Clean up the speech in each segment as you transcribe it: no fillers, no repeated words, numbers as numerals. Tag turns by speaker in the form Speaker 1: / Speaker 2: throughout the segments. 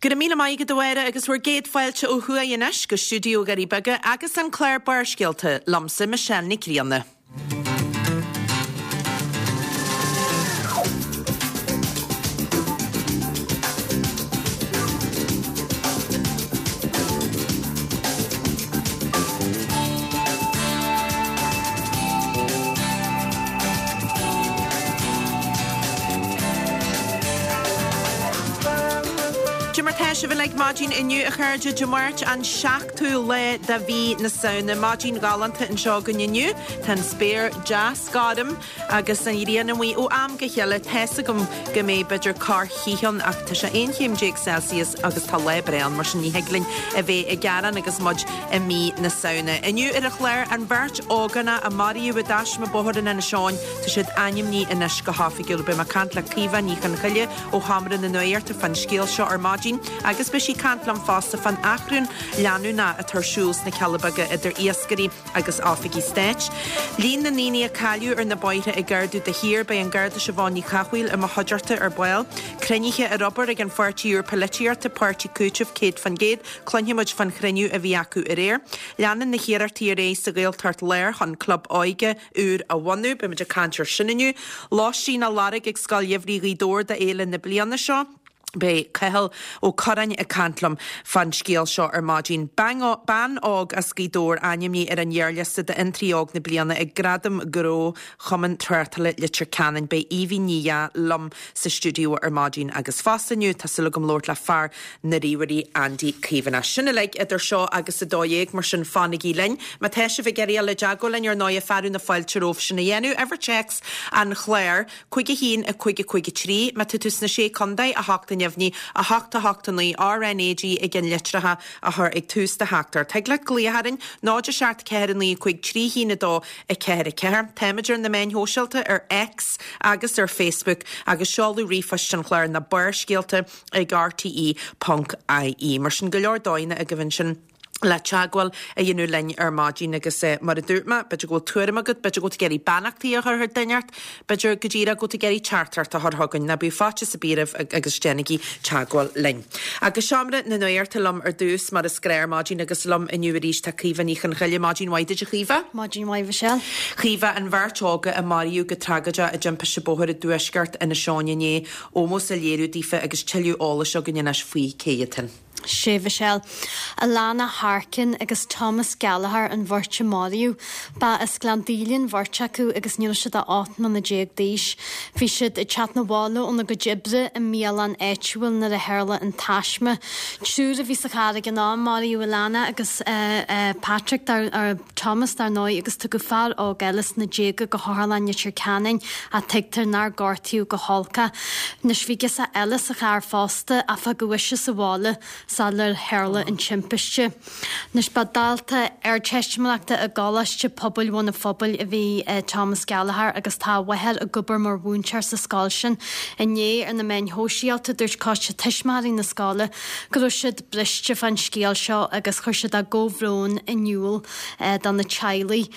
Speaker 1: Go raibh míle maith agat a Mháire agus bhur gcéad fáilte ó thuaidh anois go stiúideo Dhoirí Beaga agus an clár Barrscéalta liomsa Michelle Nic Grianna. Cad é mar tá sibh uilig maidin inniu a chairde, Dé Máirt an 7ú lá de mhí na Samhna. Maidin ghalánta anseo againn inniu. Tá an spéir deas gorm agus an ghrian amuigh ó am go chéile. Tá's agam go mbeidh b'fhéidir corrchith ann ach tá sé 11 chéim Celsius agus tá lá breá ann mar sin ní thig linn a bheith ag gearán agus muid i mí na Samhna. Inniu ar an chlár, an bheirt ógánach a maraíodh i dtaisme bóthair in Inis Eoghain, tá siad ainmnithe anois go hoifigiúil. Beidh mé ag caint le Caoimhe Ní Chonchoille ó Sheomra na Nuachta fán scéal seo ar maidin agus beidh sí ag caint liom fosta fán achrann leanúnach atá ar siúl sna Cealla Beaga idir iascairí agus oifigigh stáit. Líon na ndaoine a cailleadh ar na bóithre ag ardú de shíor. Beidh an Garda Siobhán Ní Chathmhaoil i mo chuideachta ar ball. Cruinnithe ar obair ag an pháirtí úr polaitíochta, Páirtí Cúitimh 100%. Cluinfidh muid fán chruinniú a bhí acu aréir. Leanann na hiarrachtaí ar aghaidh sa Ghaeltacht Láir chun club óige úr a bhunú. Beidh muid ag caint ar sin inniu. Lóistín á lorg ag Scoil Gheimhridh Ghaoth Dobhair do fhéile na bliana seo. Beidh Cathal Ó Curráin ag caint liom fán scéal seo ar maidin. Bean óg as Gaoth Dobhair ainmnithe ar an ghearrliosta d'Fhiontraí Óg na Bliana ag Gradaim Ghnó Chumann Tráchtála Leitir Ceanainn. Beidh Aoibhín Ní Dheá liom sa stiúideo ar maidin agus fosta inniu tá súil agam labhairt le fear na ríomhairí Andy Caomhánach. Sin uilig idir seo agus 12, mar sin fanaigí linn. Má tá sibh ag iarraidh dul i dteagmháil linn ar ndóigh fearadh na fáilte romhaibh sin a dhéanamh. Uimhir téacs an chláir, 5 1 5 5 3. Má tá tú sna Sé Contae, 8 neamhní, 8 8 9, RnaG i gceann litreacha a chur ag tús do theachtaireacht. Thig leat glaoch orainn, 0 7 4 9 5 3 1 2 4 4. Táimid ar na meáin shóisialta, ar X agus ar Facebook agus seoladh ríomhphoist an chláir ná Barrscéalta ag rte ponc ie. Mar sin, go leor dóigheanna agaibh ansin le teagmháil a dhéanamh linn ar maidin agus mar a dúirt mé, b'fhéidir go bhfuil tuairim agat, b'fhéidir go bhfuil tú ag iarraidh beannachtaí a chur chuig duine inteacht, b'fhéidir go díreach go bhfuil tú ag iarraidh teachtaireacht a chur chugainn, ná bíodh faitíos ar bith oraibh agus déanaigí teagmháil linn. Agus seomra na nuachta liom ar dtús mar is gnáth ar maidin agus liom inniu arís tá Caoimhe Ní Chonchoille. Maidin mhaith duit a Chaoimhe.
Speaker 2: Maidin mhaith Mhichelle.
Speaker 1: Caoimhe, an bheirt óga a maraíodh go tragóideach i dtimpiste bóthair i dtuaisceart Inis Eoghain inné, Ómós á léiriú daofa agus tuilleadh eolais againn anois faoi cé hiad sin.
Speaker 2: Sea, Mhichelle. Alana Harkin agus Thomas Gallagher an bheirt a maraíodh. Ba as Gleann Daoile an bheirt acu agus ní raibh siad ach 18 mbliana d'aois. Bhí siad ag teacht 'na bhaile óna gcuid oibre i mbialann áitiúil nuair a tharla an taisme. Triúr a bhí sa charr ag an am, maraíodh Alana agus Patrick, dar. Thomas, dar ndóigh, agus tugadh fear óg eile sna déaga go hOtharlann Leitir Ceanainn ach tuigtear nár gortaíodh go holc é. Anois bhí girseach eile sa charr fosta ach fágadh ise sa bhaile sular tharla an timpiste. Anois ba dalta Ardteistiméireachta i gColáiste Pobail Bhun an Phobail a bhí i Thomas Gallagher agus tá a mháthair ag obair mar mhúinteoir sa scoil sin. Inné ar na meáin shóisialta dúirt coiste tuismitheoirí na scoile go raibh siad briste fán scéal seo agus chuir siad a gcomhbhrón in iúl do na teaghlaigh.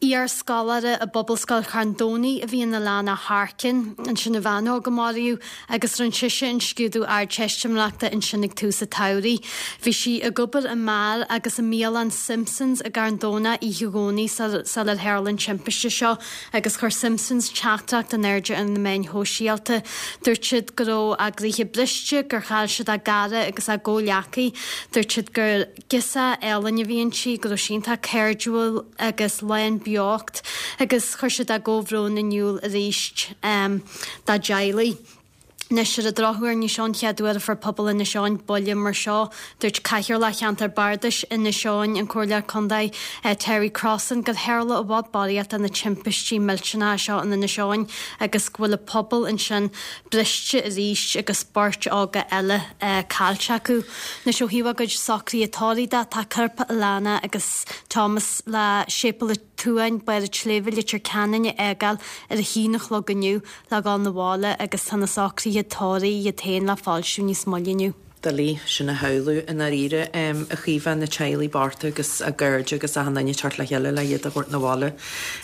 Speaker 2: Iar-scoláire i bPobalscoil Charn Domhnaigh a bhí in Alana Harkin, ansin an bhean óg a maraíodh, agus rinne sise an scrúdú Ardteistiméireachta ansin ag tús an tsamhraidh. Bhí sí ag obair i mbeár agus i mbialann Simpsons i gCarn Domhnach oíche Dhomhnaigh sular tharla an timpiste seo. Agus chuir Simpsons teachtaireacht in airde ar na meáin shóisialta. Dúirt siad go raibh a gcroíthe briste, gur chaill siad a gcara agus a gcomhghleacaí. Dúirt siad gur girseach álainn a bhí inti, go raibh sí iontach cairdiúil agus lán beocht agus chuir siad a gcomhbhrón in iúl arís dá dteaghlaigh. Anois, ar an drochuair, ní seo an chéad uair a fuair pobal Inis Eoghain buille mar seo. Dúirt Cathaoirleach Cheantar Bardais Inis Eoghain, an Comhairleoir Contae Terry Crossan, gur tharla i bhfad barraíocht de na timpistí millteanacha seo in Inis Eoghain agus go bhfuil an pobal ansin briste arís agus beirt óga eile caillte acu. Anois, ó thaobh a gcuid socruithe tórraimh de, tá corp Alana agus Thomas le Séipéal an tSuain, Barr an tSléibhe, Leitir Ceanainn a fhágáil ar a haon a chlog inniu. le dhul 'na bhaile agus tá na socruithe tórraimh iad féin le foilsiú níos moille inniu.
Speaker 1: Doiligh sin a shamhlú i ndáiríre, a Chaoimhe, na teaghlaigh bochta agus a gcairde agus achan duine ag teacht le chéile le iad a thabhairt 'na bhaile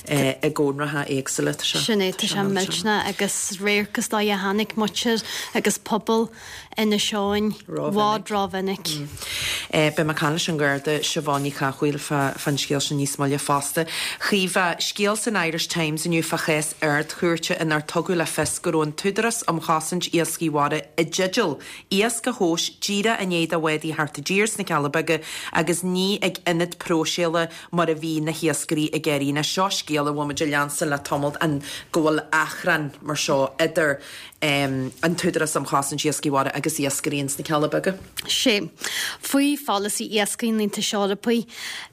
Speaker 1: i gcónracha éagsúla. Tá sé
Speaker 2: Sin é, tá sé millteanach agus radharc is dóigh a chonaic muintir agus pobal Inis Eoghain i bhfad rómhinic.
Speaker 1: Beidh mé ag caint leis an Gharda Siobhán Ní Chathmhaoil fán scéal sin níos moille fosta. Chaoimhe, scéal san Irish Times inniu fá chás Ard-Chúirte inar tugadh le fios go raibh an tÚdarás um Chosaint Iascaigh Mhara i dteideal iasc a thomhas díreach i ndiaidh do bhádaí theacht i dtír sna Cealla Beaga agus ní ag ionad próiseála mar a bhí na hiascairí ag iarraidh. Now seo scéal a bhfuil muid ag leanstan le tamall an go bhfuil achrann mar seo idir an tÚdarás um Chosaint Iascaigh Mhara agus iascairí ins na Cealla Beaga.
Speaker 2: Sea. Faoi pholasaí iascaigh an Aontais Eorpaigh,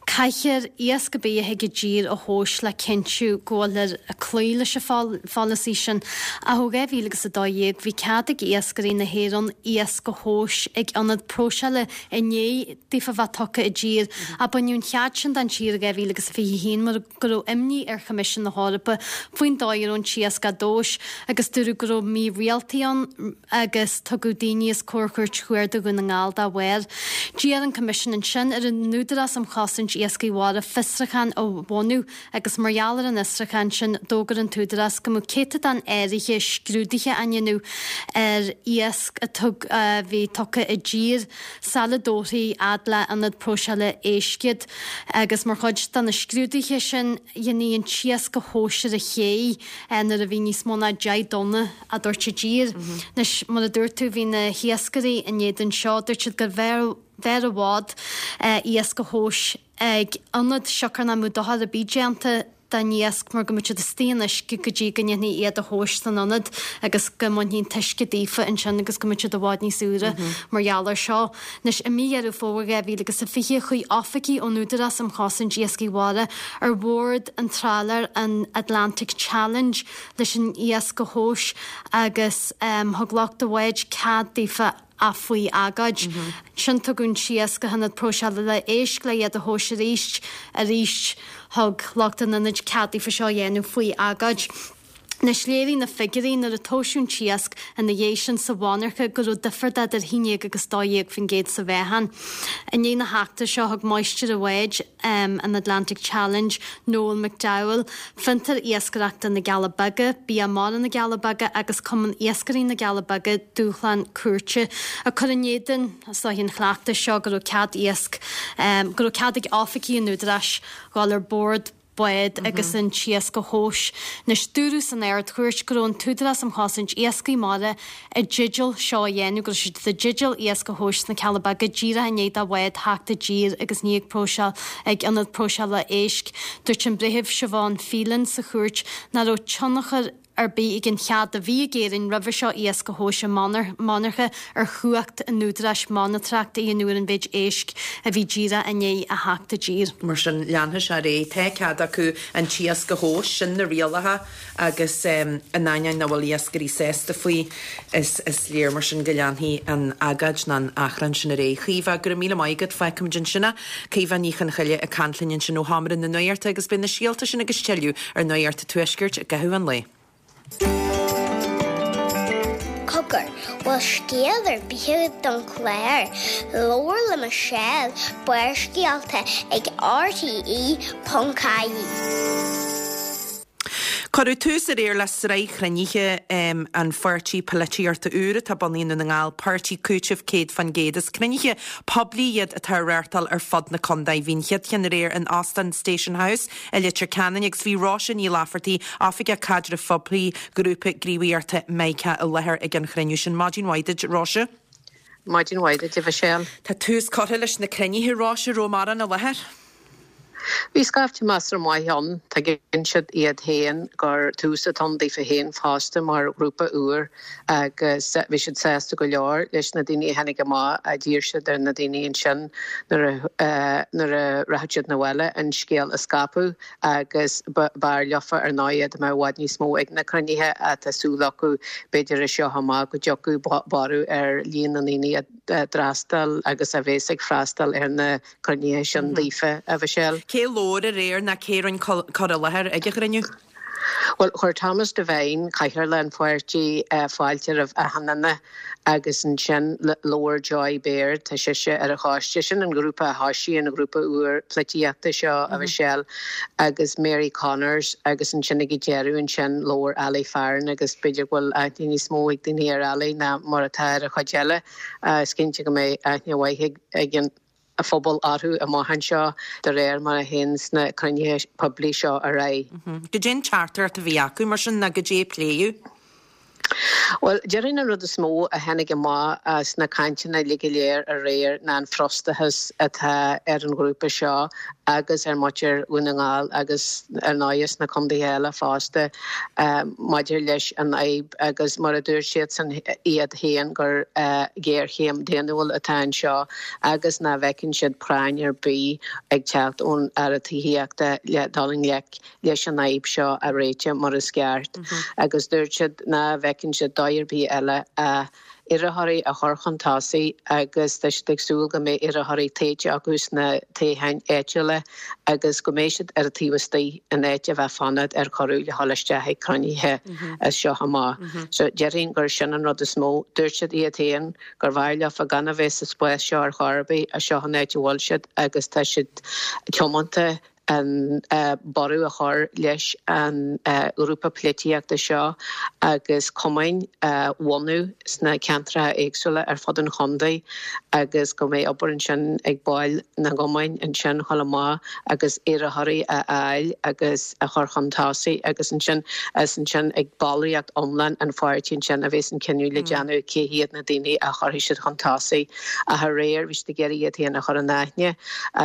Speaker 2: caithfear iasc ar bith a thig i dtír a thomhas le cinntiú go bhfuilthear ag cloí leis an pholasaí sin. Ach ó 2012 bhí cead ag iascairí na hÉireann iasc a thomhas ag ionad próiseála i ndiaidh daofa bheith tugtha i dtír. Ach baineadh an chead sin den tír i 2021 mar go raibh imní ar Choimisiún na hEorpa faoin dóigh a raibh an t-iasc á dtomhas agus dúradh go raibh mírialtaí ann agus tugadh daoine os comhair Chúirt Chuarda Dhún na nGall dá bharr. D'iarr an Coimisiún ansin ar an Údarás um Chosaint Iascaigh Mhara fiosrúchán a bhunú agus mar gheall ar an fhiosrúchán sin d'fhógair an tÚdarás go mbeadh céatadán áirithe scrúduithe á ndéanamh ar iasc a a bhí tugtha i dtír sula dtabharfaí fhad le ionad próiseála éisc iad agus mar chuid de na scrúduithe sin dhéanfaí an t-iasc a thomhas ar an ché nuair a bhí níos mó ná 10 dtonna á dtabhairt i dtír. Anois, mar a dúirt tú, bhí na hiascairí in éadan seo, dúirt siad gurbh fhearr i bhfad iasc a thomhas ag ionad siocair nach mbeadh dochar ar bith déanta don iasc mar go mbeadh siad istigh in uisce go dtí go ndéanfaí iad a thomhas san ionad agus go mbainfí an t-uisce daofa ansin agus go mbeadh siad i bhfad níos úire mar gheall air seo. Anois, i mí Dheireadh Fómhair 2020, chuaigh oifigigh ón Údarás um Chosaint Iascaigh Mhara ar bhord an trálaeir an Atlantic Challenge leis an iasc a thomhas agus thug lucht an bháid cead daofa ach faoi agóid. Ansin tugadh an t-iasc go hionad próiseála éisc le iad a thomhas arís. Arís thug lucht an ionaid cead daofa seo a dhéanamh faoi agóid. Anois léirigh na figiúirí nuair a tomhaiseadh an t-iasc ina dhiaidh sin sa mhonarcha go raibh difear d'idir 11 agus 12% sa mheáchan. I ndiaidh na heachtra seo thug máistir an bháid, an Atlantic Challenge, Noel McDowell, Fiontar Iascaireachta na gCealla Beaga, Bia Mara na gCealla Beaga agus Cumann Iascairí na gCealla Beaga dúshlán cúirte ag cur in éadan is dóiche an chleachtais seo go raibh cead iasc, go raibh cead ag oifigigh an Údaráis dhul ar bord bád agus an t-iasc a thomhas. Anois, dúradh san Ard-Chúirt go raibh an tÚdarás um Chosaint Iascaigh Mara i dteideal seo a dhéanamh, go raibh siad i dteideal iasc a thomhas sna Cealla Beaga díreach i ndiaidh do bhád theacht i dtír agus ní ag próiseáil ag ionad próiseála éisc. Dúirt an Breitheamh Siobhán Phelan sa chúirt nach raibh tionchar ar bith ag an chead a bhí ag Éirinn roimhe seo iasc a thomhas i monarcha ar chumhacht an Údaráis monatóireacht a dhéanamh ar an mhéid éisc a bhí díreach i ndiaidh a theacht i dtír.
Speaker 1: Mar sin, leanfaidh sé ar aghaidh. Tá cead acu an t-iasc a thomhas, sin na rialacha agus in ainneoin nach bhfuil iascairí sásta faoi, is léir mar sin go leanfaidh an agóid nó an achrann sin ar aghaidh. Caoimhe, go raibh míle maith agat, fágfaimid ansin é. Caoimhe Ní Chonchoille ag caint linn ansin ó Sheomra na Nuachta agus beidh na scéalta sin agus tuilleadh ar Nuacht an Tuaiscirt i gcaitheamh an lae.
Speaker 3: Cogar, bhfuil scéal ar bith agat don chlár? Labhair le Michelle, Barrscéalta ag RTE.ie.
Speaker 1: Cuireadh tús aréir le sraith chruinnithe an pháirtí polaitíochta úr atá bunaithe i nDún na nGall, Páirtí Cúitimh 100%. Is cruinnithe poiblí iad atá á reáchtáil ar fud na contae. Bhí an chéad cheann aréir in Óstán Station House i Leitir Ceanainn agus bhí Róise Ní Laifeartaigh, Oifigeach Caidrimh Phoiblí Ghrúpa Gníomhaíochta Mica i láthair ag an chruinniú sin. Maidin mhaith duit, Róise.
Speaker 4: Maidin mhaith duit, a Mhichelle.
Speaker 1: Tá tús curtha leis na cruinnithe, Róise, raibh mórán i láthair?
Speaker 4: Bhí scaifte measartha maith ann. Tuigeann siad iad féin gur tús atá ann daofa féin fosta mar ghrúpa úr agus bhí siad sásta go leor leis na daoine a tháinig amach. D'iarr siad ar na daoine ansin nuair a nuair a rachadh siad 'na bhaile an scéal a scaipeadh agus b'fhearr leofa ar ndóigh dá mbeadh i bhfad níos mó ag na cruinnithe ach tá súil acu b'fhéidir as seo amach go dtiocfadh borradh ar líon na ndaoine a d'fhreastail agus a bhéas ag freastal ar na cruinnithe sin daofa, a Mhichelle.
Speaker 1: Cé labhair aréir ná cé rinne cur i láthair ag an chruinniú?
Speaker 4: Bhuel, chuir Thomas Devine, cathaoirleach an pháirtí, fáilte roimh achan duine agus ansin labhair Joy Baird, tá sise ar an choiste, sin an grúpa a thoisigh an grúpa úr polaitíochta seo, a Mhichelle, agus Mary Connors agus ansin ag an deireadh ansin labhair Ali Farren agus b'fhéidir go bhfuil aithne níos mó ag daoine ar Ali ná mar atá ar an chuid eile. Is cinnte go mbeidh aithne mhaith ag an. phobal orthu amach anseo de réir mar a théann na cruinnithe poiblí seo ar aghaidh.
Speaker 1: Goidé an teachtaireacht a bhí acu, mar sin, ná goidé a pléadh?
Speaker 4: Bhuel, déarfainn an rud is mó a tháinig amach as na cainteanna uilig go léir aréir ná an frustrachas atá ar an ghrúpa seo agus ar mhuintir Dhún na nGall agus ar ndóighe sna contaetha eile fosta maidir leis an fhadhb agus mar a dúirt siadsan iad féin gur géarchéim daonnúil atá anseo agus nach bhfeiceann siad práinn ar bith ag teacht ón Aire Tithíochta le dul i ngleic leis an fhadhb seo a réiteach mar is ceart agus dúirt siad ná bhfeiceann siad dóigh ar bith eile ach iarrthóirí a chur chun tosaigh agus tá siad ag súil go mbeidh iarrthóirí tofa acu sna toghcháin áitiúla agus go mbeidh siad ar an taobh istigh in áit a bheith fanacht ar chuireadh le dhul isteach ag cruinnithe as seo amach. So déarfainn gur sin an rud is mó. Dúirt siad iad féin gur bhfearr leofa gan a bheith sa spás seo ar chor ar bith ach seo an áit a bhfuil siad agus tá siad tiomanta an borradh a chur leis an ghrúpa polaitíochta seo agus cumainn a bhunú sna ceantracha éagsúla ar fud an chontae agus go mbeidh obair ansin ag baill na gcumainn ansin dhul amach agus iarrthóirí a fháil agus a chur chun tosaigh agus ansin is ansin ag ballraíocht iomlán an pháirtí ansin a bheas an cinneadh le déanamh cé hiad na daoine a chuirfidh siad chun tosaigh. Ach aréir bhí siad ag iarraidh iad féin a chur in aithne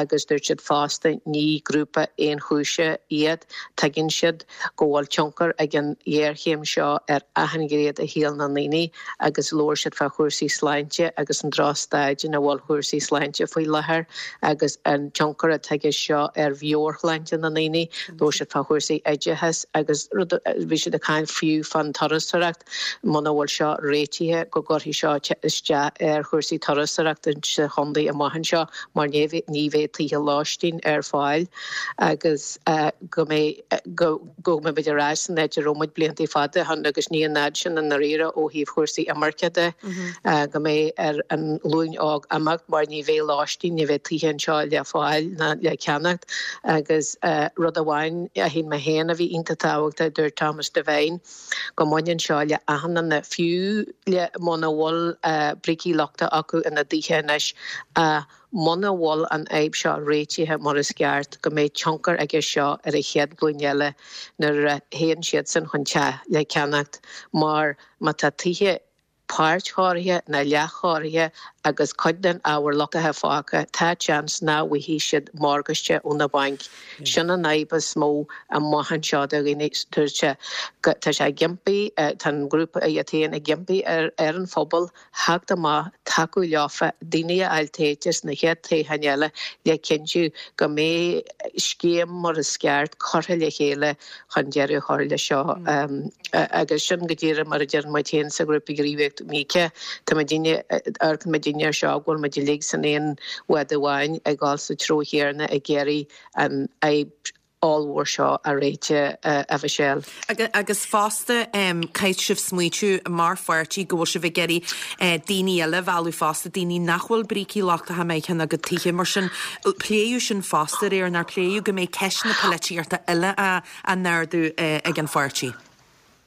Speaker 4: agus dúirt siad fosta ní grúpa aonchúise iad, tuigeann siad go bhfuil tionchar ag an ghéarchéim seo ar achan ghné de shaol na ndaoine agus labhair siad fá chúrsaí sláinte agus an drochstaid ina bhfuil cúrsaí sláinte faoi láthair agus an tionchar atá aige seo ar mheabhairshláinte na ndaoine. Labhair siad fá chúrsaí oideachais agus bhí siad ag caint fiú fán turasóireacht. Muna bhfuil seo réitithe go gcuirfidh seo isteach ar chúrsaí turasóireachta sa chontae amach anseo mar ní bheidh tithe lóistín ar fáil agus go mbeidh go go mbeidh muid ar ais san áit a raibh muid blianta fada ó shin agus ní an fhad sin i ndáiríre ó thaobh chúrsaí imirce de go mbeidh ar an ghlúin óg imeacht mar ní bheidh lóistín, ní bheidh tithe anseo le fáil ná le ceannacht agus rud amháin a shíl mé féin a bhí iontach tábhachtach, dúirt Thomas Devine. go mbaineann seo le achan duine, fiú le muna bhfuil brící lochtacha acu ina dtithe anois, ach muna bhfuil an fhadhb seo réitithe mar is ceart, go mbeidh tionchar aige seo ar an chéad ghlúin eile nuair a théann siadsan chun teach le ceannacht, mar má tá tithe páirtchóirithe nó leathchóirithe agus cuid den ábhar lochtaithe fágtha, tá seans nach bhfaighidh siad morgáiste ó na bainc. Sin an fhadhb is mó amach anseo do dhaoine. Tá sé, tá sé ag impí, tá an grúpa iad féin ag impí ar an phobal theacht amach, tacú leofa, daoine a fháil tofa sna chéad toghcháin eile le cinntiú go mbeidh scéim mar is ceart curtha le chéile chun deireadh a chur leis seo agus sin go díreach mar a deireann muid féin sa ghrúpa gníomhaíochta Míce, tá muidinne, amharcann muidinne air seo go bhfuil muid uilig san aon bhád amháin ag dul sa treo chéanna ag iarraidh an fhadhb ollmhór seo a réiteach, a Mhichelle.
Speaker 1: Agus fosta, caithfidh sibh smaoitiú mar pháirtí go bhfuil sibh ag iarraidh daoine eile a mhealladh fosta, daoine nach bhfuil brící lochtacha maithe ina gcuid tithe, mar sin, pléadh sin fosta aréir, nár pléadh go mbeidh ceisteanna polaitíochta eile á n-ardú ag an pháirtí?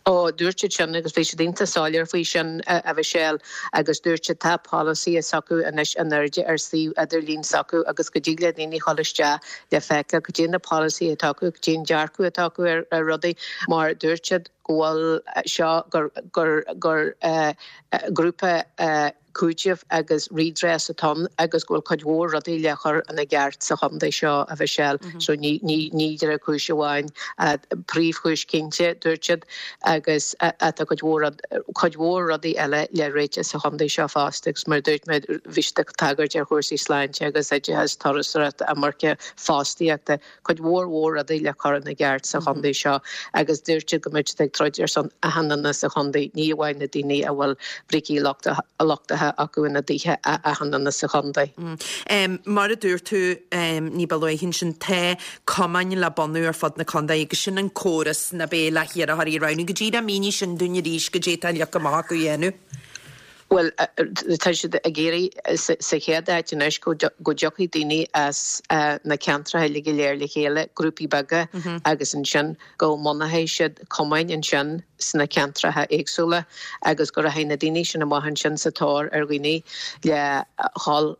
Speaker 4: Ó, dúirt siad sin agus bhí siad iontach soiléir faoi sin, a Mhichelle, agus dúirt siad tá polasaithe s'acu anois in airde ar suíomh idirlín s'acu agus go dtig le daoine dhul isteach le feiceáil cad é na polasaithe atá acu, cad é an dearcadh atá acu ar rudaí, mar dúirt siad go bhfuil seo, gur, gur, gur grúpa cúitimh agus redress atá ann agus go bhfuil cuid mhór rudaí le chur ina gceart sa chontae seo, a Mhichelle. So ní, ní, ní díreach cúis amháin, príomhchúis cinnte, dúirt siad, agus tá cuid mhór rud, cuid mhór rudaí eile le réiteach sa chontae seo fosta agus mar a dúirt mé, bhí siad ag tagairt ar chúrsaí sláinte agus oideachais, turasóireachta, imirce, fostaíochta. cuid mhór mhór rudaí le cur ina gceart sa chontae seo agus dúirt siad go mbeidh siad ag troid ar son achan duine sa chontae, ní amháin na daoine a bhfuil brící lochtacha. bunaithe acu ina dtithe achan duine sa chontae.
Speaker 1: Mar a dúirt tú ní ba luaithe ansin, tá cumainn le bunú ar fud na contae agus sin an córas nach bea le hiarrthóirí a roghnú. Go díreach mínigh sin dúinn arís, goidé atá leagtha amach acu a dhéanamh.
Speaker 4: Bhuel, tá siad ag iarraidh sa chéad áit anois go dtiocfaidh daoine as na ceantracha uilig go léir le chéile, grúpaí beaga, agus ansin go mbunóidh siad cumainn ansin sna ceantracha éagsúla agus go rachaidh na daoine sin amach ansin sa tóir ar dhaoine le dhul,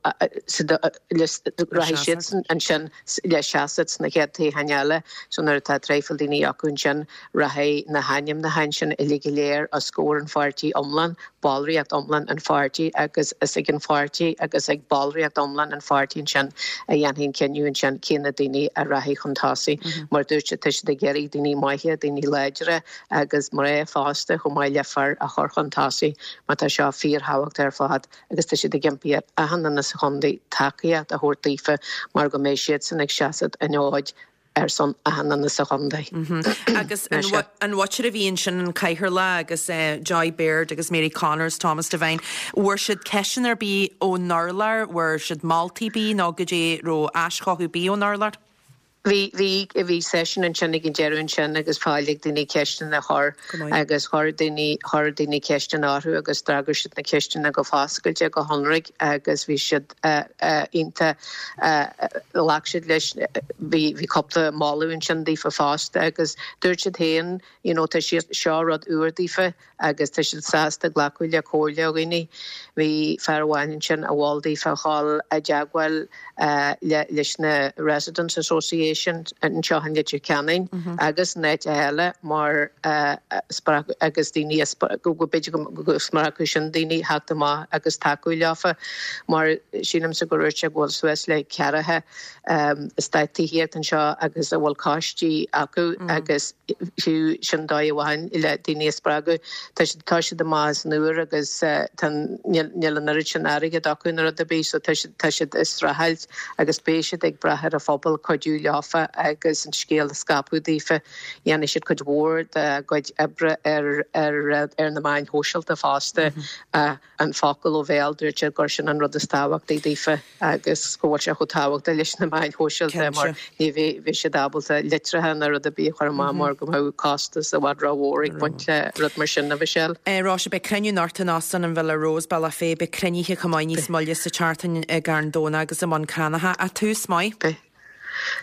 Speaker 4: rachaidh siadsan ansin le seasamh sna chéad toghcháin eile. So nuair atá traidhfil daoine acu ansin rachaidh na hainmneacháin sin uilig go léir os comhair an pháirtí iomlán. ballraíocht iomlán an pháirtí agus is ag an pháirtí agus ag ballraíocht iomlán an pháirtí ansin a dhéanfaidh an cinneadh ansin cé na daoine a rachaidh chun tosaigh. Mar a dúirt siad, tá siad ag iarraidh daoine maithe, daoine láidre agus mná fosta chomh maith le fir a chur chun tosaigh mar tá seo fíorthábhachtach ar fad agus tá siad ag impí ar achan duine sa chontae tacaíocht a thabhairt daofa mar go mbeidh siadsan ag seasamh an fhóid ar son achan duine sa chontae.
Speaker 1: Agus an mhuintir a bhí ansin, an Cathaoirleach agus Joy Baird agus Mary Connors, Thomas Devine, bhfuair siad ceisteanna ar bith ón urlár, bhfuair siad moltaí ar bith nó goidé raibh aischothú ar bith ón urlár?
Speaker 4: Bhí, bhí, bhí seisiún ansin ag an deireadh ansin agus fáil ag daoine ceisteanna a chur agus chuir daoine, chuir daoine ceisteanna orthu agus d'fhreagair siad na ceisteanna go foscailte, go hionraic agus bhí siad, iontach. Ghlac siad leis, bhí cúpla moladh ansin daofa fosta agus dúirt siad féin you know tá siad, seo rud úr daofa agus tá siad sásta glacadh le comhairle ó dhaoine. Bhí fear amháin ansin a mhol daofa a dhul i dteagmháil le leis na Residents Association anseo in Leitir Ceanainn agus in áiteacha eile mar spreag agus daoine a go b'fhéidir go spreagfadh sin daoine theacht amach agus tacú leofa mar sílimse gur dhúirt sé go bhfuil suas le ceathracha eastát tithíochta anseo agus a bhfuil coistí acu agus fiú sin dóigh amháin le daoine a spreagadh. Tá siad tá siad amach as an úr agus tá níl níl an oiread sin airgead acu nó rud ar bith so tá siad tá siad ag streachailt agus beidh siad ag brath ar an phobal cuidiú leofa agus an scéal a scaipeadh daofa. Dhéanfaidh siad cuid mhór dá gcuid oibre ar ar ar na meáin shóisialta fosta. An focal ó bhéal, dúirt siad gur sin an rud is tábhachtaí daofa agus go bhfuil sé chomh tábhachtach leis na meáin shóisialta mar ní bheidh siad ábalta litreacha ná rud ar bith a chur amach mar go mbeadh costas i bhfad rómhór ag baint le rud mar sin, a Mhichelle.
Speaker 1: Róise, beidh cruinniú anocht in Óstán an Villa Rose, Bealach Féich. Beidh cruinnithe chomh maith níos moille sa tseachtain i gCarn Domhnach agus i mBun Cranncha. Ach tús maith.
Speaker 4: Beidh.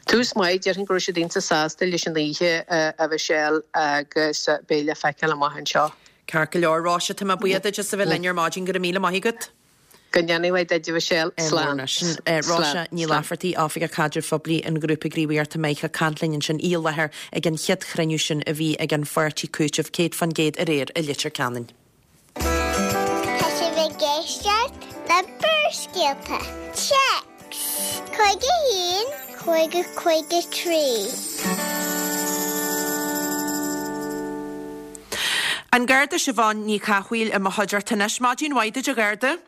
Speaker 4: Tús maith, déarfainn go raibh siad iontach sásta leis an oíche, a Mhichelle, agus beidh le feiceáil amach anseo.
Speaker 1: Ceart go leor, Róise, tá mé buíoch duit as a bheith linn ar maidin, go raibh míle maith agat.
Speaker 4: Go ndéana mhaith duit, a Mhichelle. Slán.
Speaker 1: Sin Róise Ní Laifeartaigh, Oifigeach Caidrimh Phoiblí an Ghrúpa Gníomhaíochta Meith ag caint linn ansin, í i láthair ag an chéad chruinniú sin a bhí ag an pháirtí Cúiteamh 100% aréir i Leitir Ceanainn.
Speaker 3: Tá sibh ag éisteacht le Barrscéalta. Téacs 51 50 53.
Speaker 1: An Garda Siobhán Ní Chathmhaoil i mo chuideachta anois. Maidin mhaith duit a Gharda.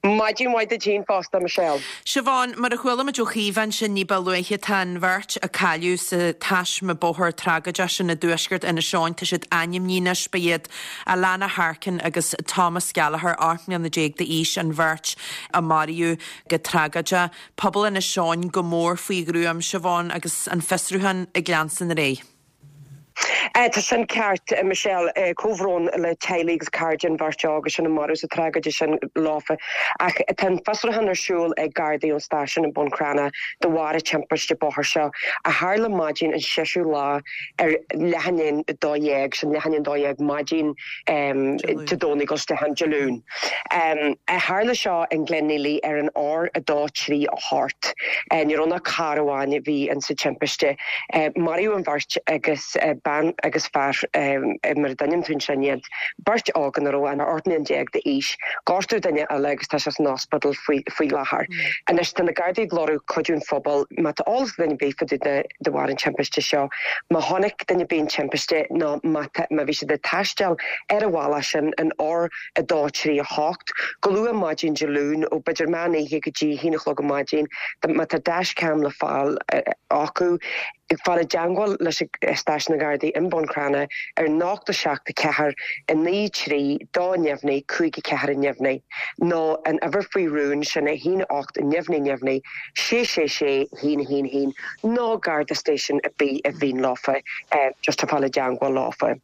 Speaker 5: Maidin mhaith duit féin fosta, Michelle.
Speaker 1: Siobhán, mar a chuala muid ó Chaoimhe ansin ní ba luaithe, tá an bheirt a cailleadh sa taisme bóthair tragóideach sin i dtuaisceart Inis Eoghain, tá siad ainmnithe anois. Ba iad Alana Harkin agus Thomas Gallagher, 18 mbliana d'aois, an bheirt a maraíodh go tragóideach. Pobal Inis Eoghain go mór faoi ghruaim, Siobhán, agus an fiosrúchán ag leanstan ar aghaidh.
Speaker 5: Tá sin ceart, Michelle. Comhbhrón le teaghlaigh agus cairde an bheirt óga sin a maraíodh sa tragóide sin leofa. Ach tá an fiosrúchán ar siúl ag Gardaí ón stáisiún i mBun Cranncha de bharr an timpiste bóthair seo a tharla maidin an seisiú lá ar leath i ndiaidh a 12, sin leath i ndiaidh a 12 maidin Dé Domhnaigh ag dul isteach ann Dé Luain. Tharla seo in Glenealy ar an R238. Ní raibh ann ach carr amháin a bhí in sa timpiste. Maraíodh an bheirt agus bean agus fear mar a d'ainmnigh tú ansin iad, beirt óg ina raibh an 18 mbliana d'aois. Gortaíodh duine eile agus tá sé san ospidéal faoi láthair. Anois tá na Gardaí ag lorg cuidiú an phobail má tá eolas ag duine ar bith fá dtaobh de bharr an timpiste seo. Má chonaic duine ar bith an timpiste nó má má bhí siad ag taisteal ar an bhealach sin an R2 3 8 go luath maidin Dé Luain ó b'fhéidir meán oíche go dtí a haon a chlog ar maidin, má tá dashcam le fáil acu. Fáil i dteangmháil leis an Stáisiún na Gardaí i mBun Cranncha ar 0 7 4 9 3 2 neamhní 5 4 neamhní nó an uimhir faoi rún sin 1 8 neamhní neamhní 6 6 6 1 1 1 nó Garda Station ar bith a bhíonn leofa just fáil i dteangmháil leofa.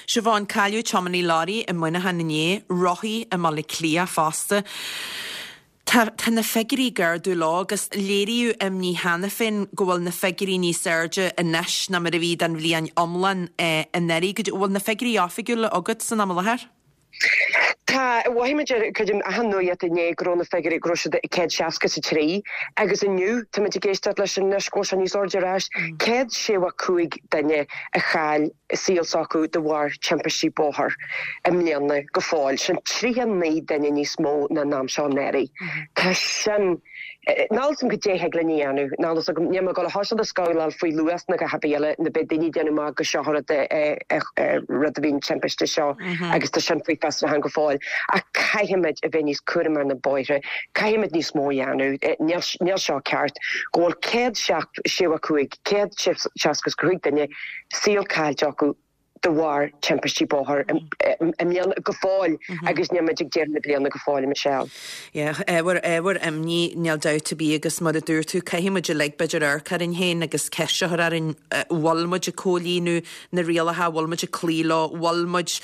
Speaker 1: Siobhán, Cailleadh tiománaí leoraí i Muineachán inné, rothaí i mBaile Átha Cliath fosta. Tá tá na figiúirí ag ardú leo agus léiríodh imní cheana féin go bhfuil na figiúirí níos airde anois ná mar a bhí don bhliain iomlán anuraidh. Bhfuil na figiúirí oifigiúla agat san am i láthair?
Speaker 5: Tá, mhothaigh muid ar cuid den achan nuaíocht inné go raibh na figiúirí, go raibh siad 163 agus inniu táimid ag éisteacht leis anois go bhfuil sé níos airde ar ais, 165 duine a chaill saol s'acu de bharr timpistí bóthair i mbliana go fóill, sin 39 duine níos mó ná an am seo anuraidh. Tá sin. Níl a fhios agam goidé thig linn a dhéanamh. Níl a fhios agam, níl mé ag dul a thoiseacht ag scabhláil faoi luas ná a dhath ar bith eile, nó beidh daoine ag déanamh amach go seo rud rud a bhí an timpiste seo agus tá sin faoi fiosrúchán go fóill. Ach caithfimid a bheith níos cúramaí ar na bóithre, caithfimid níos mó a dhéanamh. Níl níl seo ceart go bhfuil 175, 165 duine saol caillte acu de bharr timpistí bóthair i mbliana go fóill agus níl muid ag deireadh na bliana go fóill, a Michelle.
Speaker 1: Yeah, ábhar, ábhar imní, níl dabht ar bith agus mar a dúirt tú, caithfidh muid uilig b'fhéidir amharc orainn féin agus ceist a chur orainn, bhfuil muid ag comhlíonadh na rialacha, bhfuil muid ag cloí leo, bhfuil muid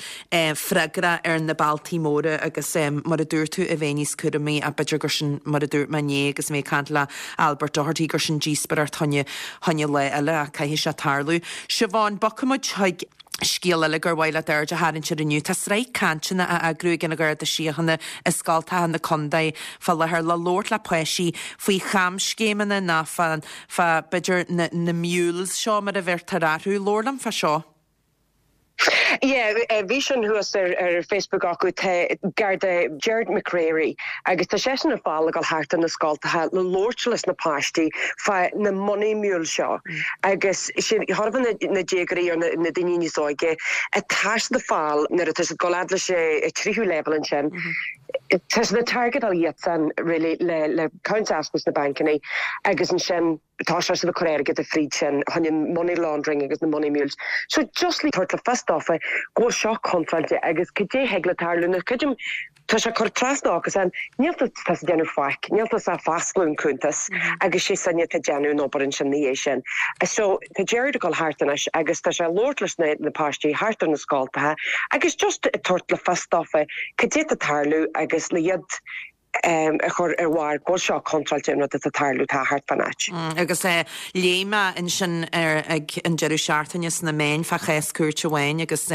Speaker 1: freagrach ar na bealtaí móra agus mar a dúirt tú, a bheith níos cúramaí ach b'fhéidir gur sin, mar a dúirt mé inné agus mé ag caint le Albert Doherty, gur sin díospóireacht fá choinne, choinne lá eile ach caithfidh sé tarlú. Siobhán, bogfaidh muid chuig scéal eile gur mhaith leat aird a tharraingt air inniu. Tá sraith cainteanna á eagrú ag an Gharda Síochána i scoltacha na contae fá láthair le labhairt le páistí faoi chamscéimeanna ná fá, fá b'fhéidir na, na mules seo mar a bheirtear orthu. Labhair liom fá seo.
Speaker 5: Yeah, bhí sin thuas ar ar Facebook acu, tá Garda Gerard McCreary agus tá seisean ag fáil ag dul thart ar na scoltacha le labhairt leis na páistí fá na money mules seo agus sin chóir a bheith na déagóirí or na daoine níos óige atá siad ag fáil nuair atá siad ag dul fhad leis an tríú leibhéal ansin tá siad ag targetáil iadsan really le le accounts a oscailt sna bancanna agus ansin tá siad ag cur airgead fríd sin chun an money laundering agus na money mules. So just le tabhairt le fios dófa go bhfuil seo contráilte agus cad é thig le tarlú nó creidim tá sé cur trasna acusan, níl tú tá ag déanamh faic, níl tú ach foscladh an cuntas agus sé sinne atá ag déanamh an obair ansin na dhiaidh sin. So tá Gerard ag dul thart anois agus tá sé ag labhairt leis na na páistí thart ar na scoltacha agus just ag tabhairt le fios dófa cad é tá ag tarlú agus le iad a chur ar bharr go bhfuil seo contráilte an rud atá ag tarlú atá thart fán áit.
Speaker 1: Agus léigh mé ansin ag an deireadh seachtaine sna meáin fá chás cúirte amháin agus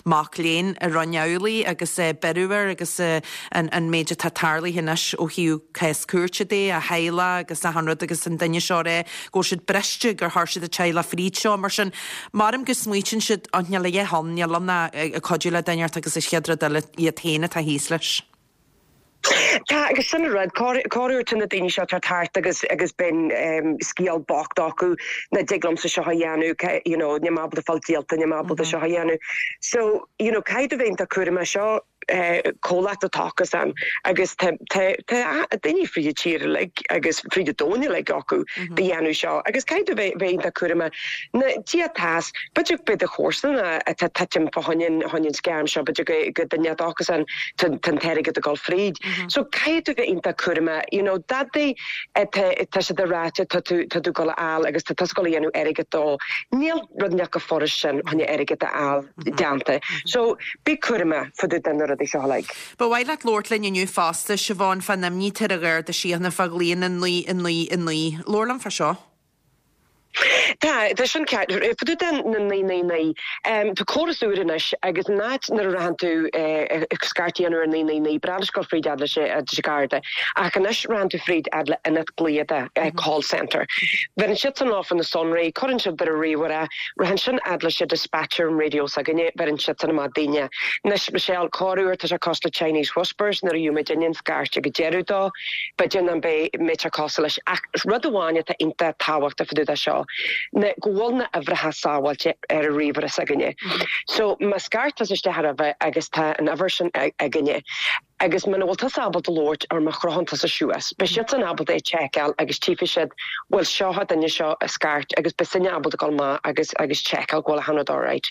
Speaker 1: mac léinn a rinne amhlaidh agus beireadh air agus an méid atá tarlaithe anois ó thaobh cás cúirte de, a theaghlach agus achan rud agus an duine seo ag rá go bhfuil siad briste gur chuir siad a teaghlach fríd seo. Mar sin, maram go smaoitíonn siad, oh níl a dhath ann, níl ann ach ag cuidiú le duine inteacht agus an chéad rud eile iad féin atá thíos leis.
Speaker 5: Tá, agus sin an rud, corruair tá na daoine seo ag teacht thart agus agus bíonn scéal bocht acu, nach dtig liomsa seo a dhéanamh, you know, níl mé ábalta fáil díolta, níl mé ábalta seo a dhéanamh. So, you know, caithfidh tú bheith iontach cúramach, seo comhlacht atá acusan agus tá tá tá daoine fríd an tír uilig agus fríd an domhan uilig acu do dhéanamh seo agus caithfidh tú bheith bheith iontach cúramach. Na Dia atá, b'fhéidir go mbeidh do chomharsana atá titim fá choinne an scam seo, b'fhéidir go go duine atá acusan tá an t-airgead ag dul fríd. So caithfidh tú bheith iontach cúramach, you know, dadaí tá tá siad ag ráite tá tú tá tú ag dul a fháil agus tá tusa ag dul a dhéanamh airgead dó. Níl rud inteacht chomh furast sin chun airgead a fháil déanta. So bí cúramach fá dtaobh de na rudaí seo uilig.
Speaker 1: Ba mhaith leat labhairt linn inniu fosta, Siobhán, fán imní atá ar an Gharda Síochána fá ghlaonna 9 9 9. Labhair liom fá seo.
Speaker 5: Tá, tá sin ceart. Fá dtaobh de na 999, tá córas úr anois agus in áit nuair a rachann tú scairt a dhéanamh ar 999, ba ghnách leis dul fríd fhad leis an Garda, ach anois rachann tú fríd fhad le ionad glaoda, call centre. Bheireann siadsan leofa na sonraí, cuireann siad ar a ríomhaire, rachann sin fhad leis an dispatcher an raidió s'againne, bheireann siadsan amach daoine. Anois, Michelle, corruair tá sé cosúil le Chinese Whispers nuair a gheobhaidh muid an scairt ag an deireadh dó, B'fhéidir nach mbeidh sé cosúil leis, ach rud amháin atá iontach tábhachtach fá dtaobh de seo. seo ná go bhfuil na uimhreacha sábháilte ar an ríomhaire s'againne. So má scairt tusa isteach roimhe agus tá an uimhir sin againne agus muna bhfuil tusa ábalta labhairt or má chrochann tusa suas, beidh siadsan ábalta é tseiceáil agus tchífidh siad bhuel seo an duine seo a scairt agus beidh sinne ábalta dul amach agus agus tseiceáil go bhfuil achan rud alright.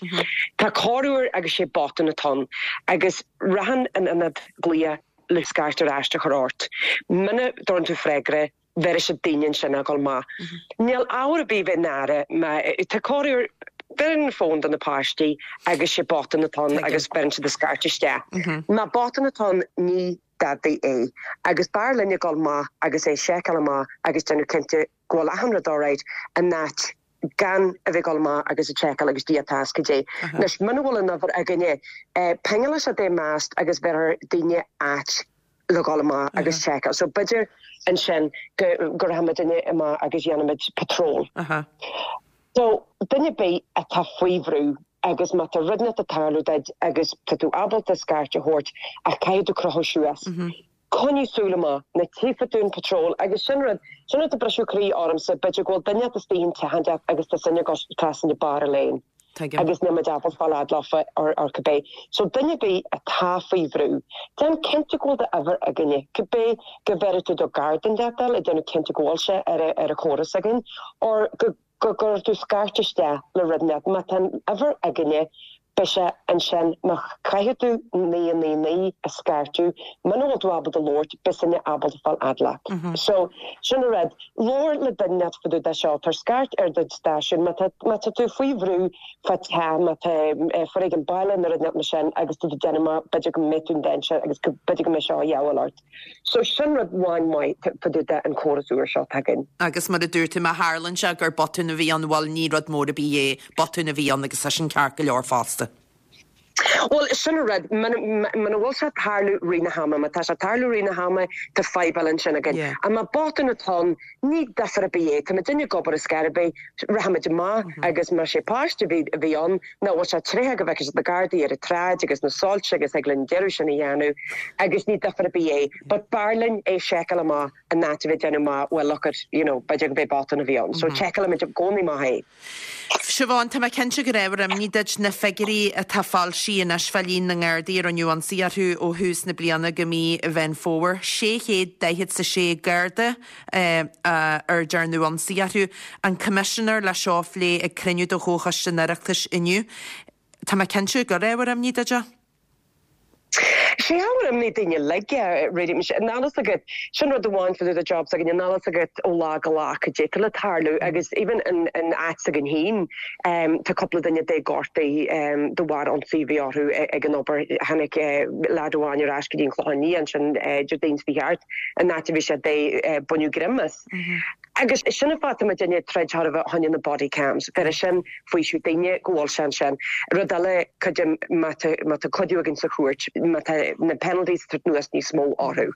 Speaker 5: Tá corruair agus sé botún atá ann agus rachann an ionad glaoch le scairt ar ais a chur ort. Muna dtabharann tú freagra, bheirfidh siad daoine ansin a dhul amach. Níl ábhar ar bith bheith náire má tá corruair bheireann an fón do na páistí agus sé botún atá ann agus beireann siad an scairt isteach. Má botún atá ann ní dadaí é agus b'fhearr linn a dhul amach agus é seiceáil amach agus déanamh cinnte go bhfuil achan rud alright in áit gan a bheith ag dul amach agus ag seiceáil agus Dia atá fhios caidé. Anois muna bhfuil an uimhir againne pingeálfaidh siad é meast agus bheirfear daoine áit le dhul amach agus seiceáil. So b'fhéidir ansin go go rachaimid amach agus dhéanfaimid patrol. So duine ar bith atá faoi bhrú agus má tá rud inteacht ag tarlú duit agus tá tú ábalta scairt a thabhairt ach caithfidh tú crochadh suas. Coinnigh súil amach, nuair a tchífidh tú an patrol agus sin rud, sin rud atá briseadh croí ormsa, b'fhéidir go bhfuil duine inteacht istigh in teach inteacht agus tá sinne ag dul trasna barr an lane.
Speaker 1: Tuigim.
Speaker 5: Agus níl muid ábalta fáil fhad leofa or or cibé. So duine ar bith atá faoi bhrú, déan cinnte go bhfuil d'uimhir againne, cibé go bhféadfaidh tú do garda inteacht a fháil ag déanamh cinnte go bhfuil sé ar a ar a chóras againn or go go gcuirfidh tú scairt isteach le rud inteacht. Má tá an uimhir againne, beidh sé ansin. Má chaithfidh tú 999 a scairteadh, muna bhfuil tú ábalta labhairt, beidh sinne ábalta fáil fhad leat. So, sin an rud. Labhair le duine inteacht fá dtaobh de seo. Tabhair scairt ar do stáisiún má tá, má tá tú faoi bhrú fá teach, má tá foréigean baile nó rud inteacht mar sin agus tú ag déanamh amach b'fhéidir go mbeidh tú in danger agus go, b'fhéidir go mbeidh seo a dhíobháil ort. So sin rud amháin maith fá dtaobh de an córas úr seo atá againn.
Speaker 1: Agus mar a dúirt tú, má tharlaíonn sé gur botún a bhí ann, bhuel ní rud mór ar bith é, botún a bhí ann agus tá sin ceart go leor fosta.
Speaker 5: Bhuel, sin an rud, muna bhfuil sé ag tarlú rith na hama, má tá sé ag tarlú rith na hama, tá fadhb eile ansin againn. Ach má botún atá ann, ní difear ar bith é, tá muidinne ag obair ar scor ar bith, rachaimid amach agus má sé páiste a bhí a bhí ann, nó bhfuil sé tréitheach go bhfeicfidh siad na Gardaí ar an tsráid agus na soilse agus thig linn an deireadh sin a dhéanamh agus ní difear ar bith é. But b'fhearr linn é seiceáil amach in áit a bheith ag déanamh amach, well look at, you know, b'fhéidir go b'é botún a bhí ann. So seiceálaimid i gcónaí amach é.
Speaker 1: Siobhán, tá mé cinnte gur ábhar imní duit na figiúirí atá foilsithe anois fá líon na nGardaí a rinneadh ionsaí orthu ó thús na bliana go mí Mheán Fómhair. 646 Garda ar dearnadh ionsaí orthu. An Coimisinéir le seo a phlé ag cruinniú de Chomhchoiste an Oireachtais inniu. Tá mé cinnte gur ábhar imní duit é.
Speaker 5: Sé ábhar imní daoine uilig é, really. Níl a fhios agat, sin rud amháin fá dtaobh de job s'againne, níl a fhios agat ó lá go lá cad é tá le tarlú agus even in in áit s'againn féin tá cúpla duine de gortaithe de bharr ionsaí a bhí orthu ag an obair. Tháinig leaid amháin ar ais go dtí an Clochán Liath ansin Déardaoin seo thart, an áit a bhí sé de baineadh greim as. Agus sin an fáth tá muidinne ag troid chóir a bheith fá choinne na body cams, bheir sin faoiseamh daoine go bhfuil sé ansin. Rud eile, cuidim, má tá, má tá cuidiú againn sa chúirt, má tá na penalties ag tabhairt anuas níos mó orthu,